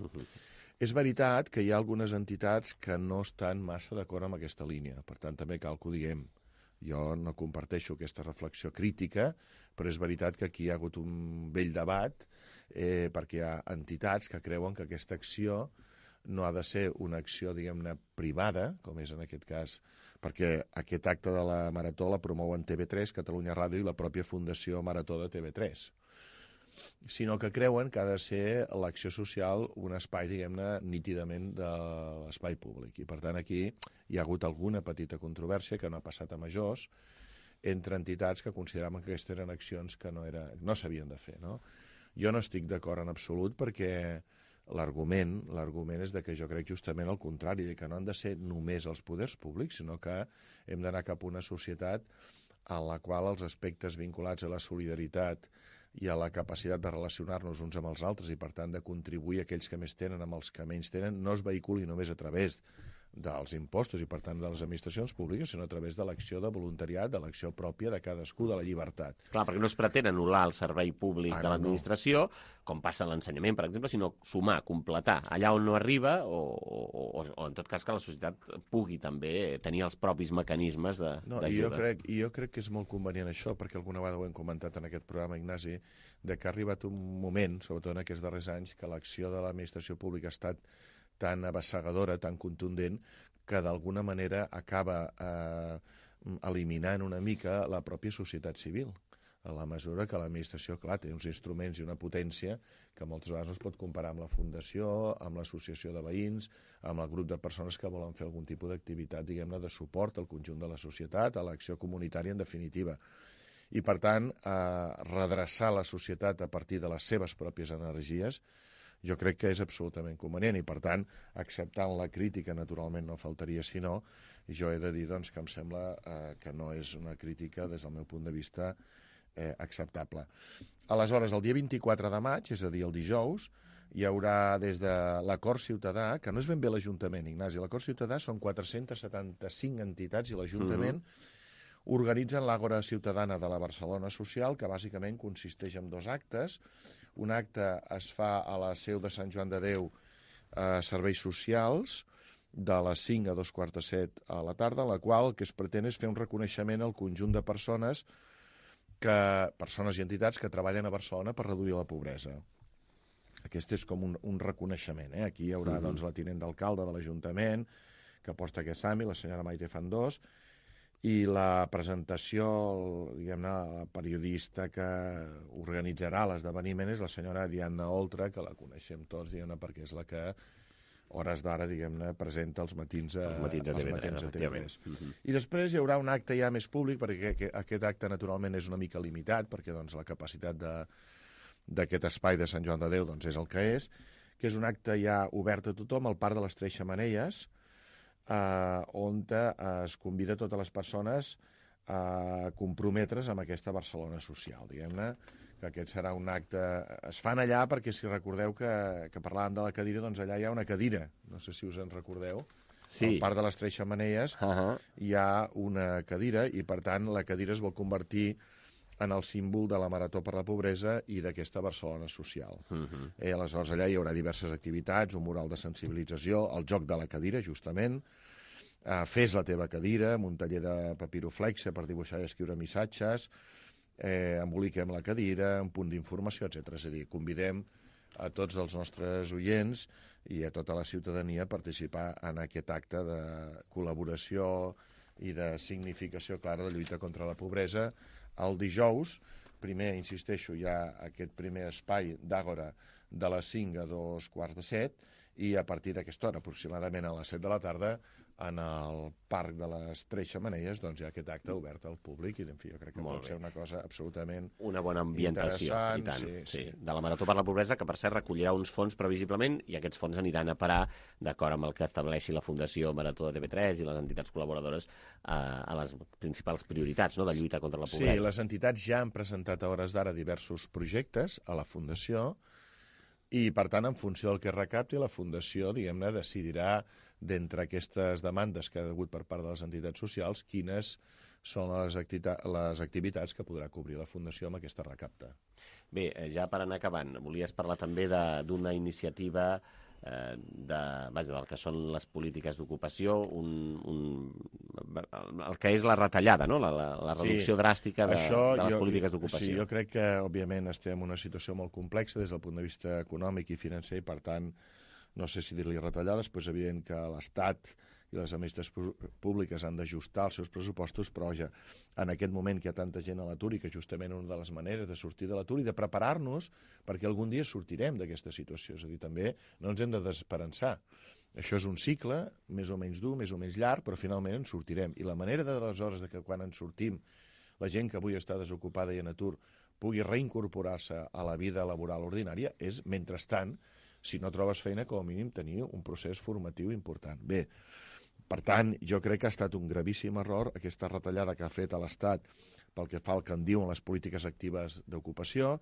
És veritat que hi ha algunes entitats que no estan massa d'acord amb aquesta línia, per tant també cal que ho diguem. Jo no comparteixo aquesta reflexió crítica, però és veritat que aquí hi ha hagut un vell debat eh, perquè hi ha entitats que creuen que aquesta acció no ha de ser una acció, diguem-ne, privada, com és en aquest cas, perquè aquest acte de la Marató la promouen T V tres, Catalunya Ràdio i la pròpia Fundació Marató de T V tres, sinó que creuen que ha de ser l'acció social un espai, diguem-ne, nítidament de l'espai públic. I, per tant, aquí hi ha hagut alguna petita controvèrsia que no ha passat a majors entre entitats que consideraven que aquestes eren accions que no, era, no s'havien de fer. No? Jo no estic d'acord en absolut perquè l'argument l'argument és de que jo crec justament el contrari, de que no han de ser només els poders públics, sinó que hem d'anar cap a una societat en la qual els aspectes vinculats a la solidaritat i a la capacitat de relacionar-nos uns amb els altres i, per tant, de contribuir a aquells que més tenen amb els que menys tenen, no es vehiculi només a través dels impostos i, per tant, de les administracions públiques, sinó a través de l'acció de voluntariat, de l'acció pròpia de cadascú, de la llibertat. Clar, perquè no es pretén anul·lar el servei públic Ah, de no, l'administració, com passa en l'ensenyament, per exemple, sinó sumar, completar allà on no arriba o, o, o, o en tot cas que la societat pugui també tenir els propis mecanismes de, No, i jo crec, i jo crec que és molt convenient això, perquè alguna vegada ho hem comentat en aquest programa, Ignasi, de que ha arribat un moment, sobretot en aquests darrers anys, que l'acció de l'administració pública ha estat tan abassegadora, tan contundent, que d'alguna manera acaba eh, eliminant una mica la pròpia societat civil, a la mesura que l'administració, clar, té uns instruments i una potència que moltes vegades no es pot comparar amb la fundació, amb l'associació de veïns, amb el grup de persones que volen fer algun tipus d'activitat, diguem-ne, de suport al conjunt de la societat, a l'acció comunitària, en definitiva. I, per tant, eh, redreçar la societat a partir de les seves pròpies energies jo crec que és absolutament convenient i, per tant, acceptant la crítica, naturalment no faltaria sinó, jo he de dir doncs, que em sembla eh, que no és una crítica, des del meu punt de vista, eh, acceptable. Aleshores, el dia vint-i-quatre de maig, és a dir, el dijous, hi haurà des de l'Acord Ciutadà, que no és ben bé l'Ajuntament, Ignasi, l'Acord Ciutadà són quatre-cents setanta-cinc entitats i l'Ajuntament mm-hmm. organitzen l'Àgora Ciutadana de la Barcelona Social, que bàsicament consisteix en dos actes. Un acte es fa a la seu de Sant Joan de Déu a Serveis Socials, de les cinc a dos quarts de set a la tarda, en la qual el que es pretén és fer un reconeixement al conjunt de persones, que, persones i entitats que treballen a Barcelona per reduir la pobresa. Aquest és com un, un reconeixement. Eh? Aquí hi haurà uh-huh. doncs, la tinent d'alcalde de l'Ajuntament, que porta aquest àmbit, la senyora Maite Fandós, i la presentació, diguem-ne, la periodista que organitzarà l'esdeveniment és la senyora Ariadna Oltra, que la coneixem tots, diguem-ne, perquè és la que, hores d'ara, diguem-ne, presenta els matins a, els matins a T V tres. A T V tres. Uh-huh. I després hi haurà un acte ja més públic, perquè aquest acte, naturalment, és una mica limitat, perquè doncs, la capacitat de, d'aquest espai de Sant Joan de Déu doncs, és el que és, que és un acte ja obert a tothom, al Parc de les Tres Xemeneies, Uh, on uh, es convida totes les persones a comprometre's amb aquesta Barcelona social, diguem-ne, que aquest serà un acte... Es fan allà perquè, si recordeu que, que parlàvem de la cadira, doncs allà hi ha una cadira, no sé si us en recordeu, Sí. Al Parc de les Tres Xemeneies uh -huh. hi ha una cadira i, per tant, la cadira es vol convertir en el símbol de la Marató per la Pobresa i d'aquesta Barcelona social. Uh -huh. eh, aleshores, allà hi haurà diverses activitats, un mural de sensibilització, el joc de la cadira, justament, eh, fes la teva cadira, un taller de papiroflexe per dibuixar i escriure missatges, eh, emboliquem la cadira, un punt d'informació, etcètera. És a dir, convidem a tots els nostres oients i a tota la ciutadania a participar en aquest acte de col·laboració i de significació clara de lluita contra la pobresa. El dijous, primer, insisteixo, hi ha aquest primer espai d'àgora de les cinc a dos quarts de set i a partir d'aquesta hora, aproximadament a les set de la tarda, en el Parc de les Tres Xemeneies, doncs hi ha aquest acte obert al públic i, en fi, jo crec que Molt pot bé. ser una cosa absolutament Una bona ambientació, i tant, sí, sí, sí. De la Marató per la Pobresa, que per cert recollirà uns fons previsiblement i aquests fons aniran a parar, d'acord amb el que estableixi la Fundació Marató de T V tres i les entitats col·laboradores, a, a les principals prioritats, no?, de lluita contra la pobresa. Sí, les entitats ja han presentat a hores d'ara diversos projectes a la Fundació i, per tant, en funció del que es recapti, la Fundació, diguem-ne, decidirà d'entre aquestes demandes que ha hagut per part de les entitats socials quines són les, les activitats que podrà cobrir la Fundació amb aquesta recapta. Bé, ja per anar acabant, volies parlar també d'una iniciativa eh, de, vaja, del que són les polítiques d'ocupació, un, un, el que és la retallada, no?, la, la, la reducció sí, dràstica de, això, de les jo, polítiques d'ocupació. Sí, jo crec que, òbviament, estem en una situació molt complexa des del punt de vista econòmic i financer i, per tant, no sé si dir-li retallades, però és evident que l'Estat i les administracions públiques han d'ajustar els seus pressupostos, però ja, en aquest moment que hi ha tanta gent a l'atur i que justament una de les maneres de sortir de l'atur i de preparar-nos perquè algun dia sortirem d'aquesta situació, és a dir, també no ens hem de desesperançar. Això és un cicle, més o menys dur, més o menys llarg, però finalment en sortirem. I la manera de les hores de que quan en sortim la gent que avui està desocupada i en atur pugui reincorporar-se a la vida laboral ordinària és, mentrestant, si no trobes feina, com a mínim tenir un procés formatiu important. Bé, per tant, jo crec que ha estat un gravíssim error aquesta retallada que ha fet a l'Estat pel que fa al que en diuen les polítiques actives d'ocupació,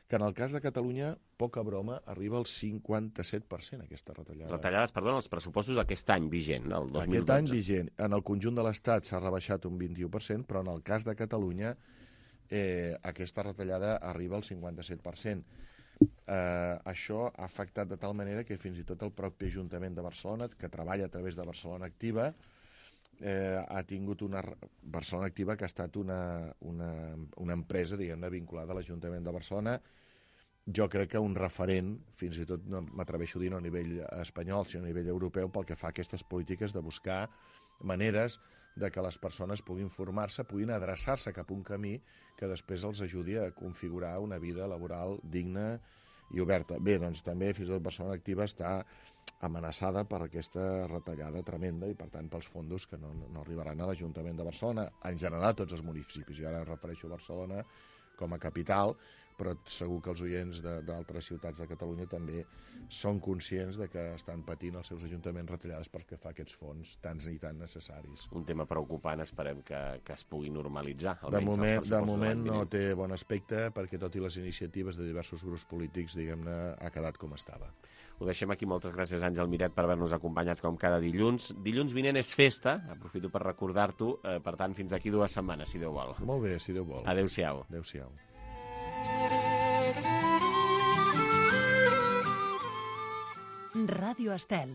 que en el cas de Catalunya, poca broma, arriba al cinquanta-set per cent aquesta retallada. Retallades, perdó, els pressupostos d'aquest any vigent, el dos mil dotze. Aquest any vigent. En el conjunt de l'Estat s'ha rebaixat un vint-i-u per cent, però en el cas de Catalunya eh, aquesta retallada arriba al cinquanta-set per cent. Eh, això ha afectat de tal manera que fins i tot el propi Ajuntament de Barcelona, que treballa a través de Barcelona Activa, eh, ha tingut una... Barcelona Activa, que ha estat una, una, una empresa, diguem-ne, vinculada a l'Ajuntament de Barcelona, jo crec que un referent, fins i tot no m'atreveixo a dir no a nivell espanyol, sinó a nivell europeu, pel que fa a aquestes polítiques de buscar maneres de que les persones puguin formar-se, puguin adreçar-se cap a un camí que després els ajudi a configurar una vida laboral digna i oberta. Bé, doncs també fins i tot Barcelona Activa està amenaçada per aquesta retallada tremenda i, per tant, pels fondos que no, no arribaran a l'Ajuntament de Barcelona, en general a tots els municipis. Jo ara em refereixo a Barcelona com a capital, però segur que els oients d'altres ciutats de Catalunya també són conscients de que estan patint els seus ajuntaments retallades pel que fa a aquests fons tants i tan necessaris. Un tema preocupant, esperem que, que es pugui normalitzar. De moment, de moment no té bon aspecte perquè tot i les iniciatives de diversos grups polítics, diguem-ne, ha quedat com estava. Ho deixem aquí. Moltes gràcies, Àngel Miret, per haver-nos acompanyat com cada dilluns. Dilluns vinent és festa, aprofito per recordar-t'ho, eh, per tant, fins aquí dues setmanes, si Déu vol. Molt bé, si Déu vol. Adéu-siau. Adéu-siau. Ràdio Estel.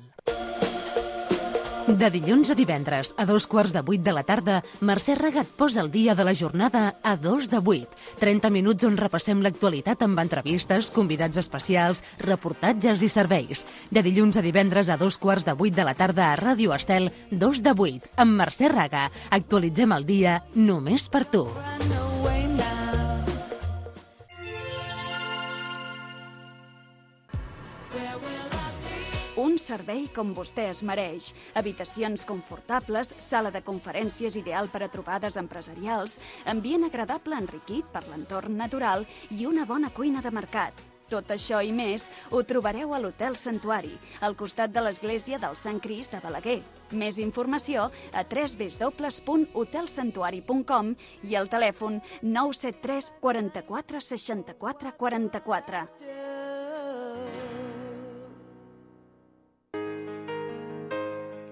De dilluns a divendres, a dos quarts de vuit de la tarda, Mercè Raga et posa el dia de la jornada a dos de vuit. trenta minuts on repassem l'actualitat amb entrevistes, convidats especials, reportatges i serveis. De dilluns a divendres a dos quarts de vuit de la tarda a Ràdio Estel, dos de vuit, amb Mercè Raga. Actualitzem el dia només per tu. Un servei com vostè es mereix. Habitacions confortables, sala de conferències ideal per a trobades empresarials, ambient agradable enriquit per l'entorn natural i una bona cuina de mercat. Tot això i més ho trobareu a l'Hotel Santuari, al costat de l'església del Sant Crist de Balaguer. Més informació a w w w punt hotel santuari punt com i al telèfon nou set tres quaranta-quatre seixanta-quatre quaranta-quatre.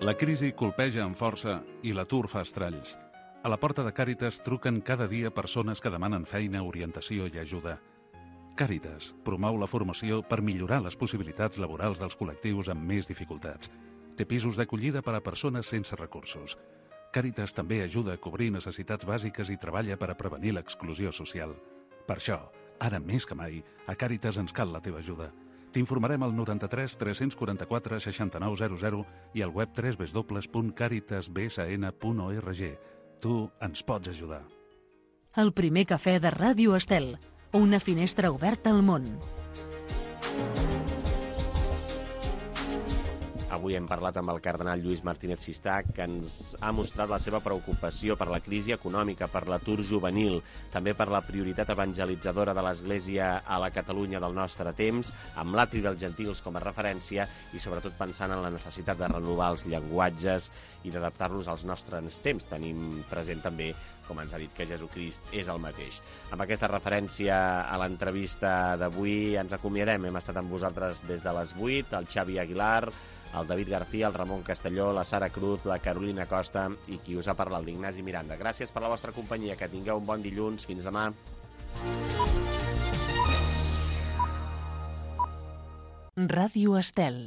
La crisi colpeja amb força i l'atur fa estralls. A la porta de Càritas truquen cada dia persones que demanen feina, orientació i ajuda. Càritas promou la formació per millorar les possibilitats laborals dels col·lectius amb més dificultats. Té pisos d'acollida per a persones sense recursos. Càritas també ajuda a cobrir necessitats bàsiques i treballa per a prevenir l'exclusió social. Per això, ara més que mai, a Càritas ens cal la teva ajuda. T'informarem al noranta-tres tres quaranta-quatre seixanta-nou zero zero i al web w w w punt caritas b s n punt org. Tu ens pots ajudar. El primer cafè de Ràdio Estel. Una finestra oberta al món. Avui hem parlat amb el cardenal Lluís Martínez Sistà, que ens ha mostrat la seva preocupació per la crisi econòmica, per l'atur juvenil, també per la prioritat evangelitzadora de l'Església a la Catalunya del nostre temps, amb l'atri dels gentils com a referència i sobretot pensant en la necessitat de renovar els llenguatges i d'adaptar-los als nostres temps. Tenim present també, com ens ha dit, que Jesucrist és el mateix. Amb aquesta referència a l'entrevista d'avui ens acomiadem. Hem estat amb vosaltres des de les vuit, el Xavi Aguilar, el David García, el Ramon Castelló, la Sara Cruz, la Carolina Costa i qui us ha parlat, l'Ignasi Miranda. Gràcies per la vostra companyia, que tingueu un bon dilluns. Fins demà. Ràdio Estel.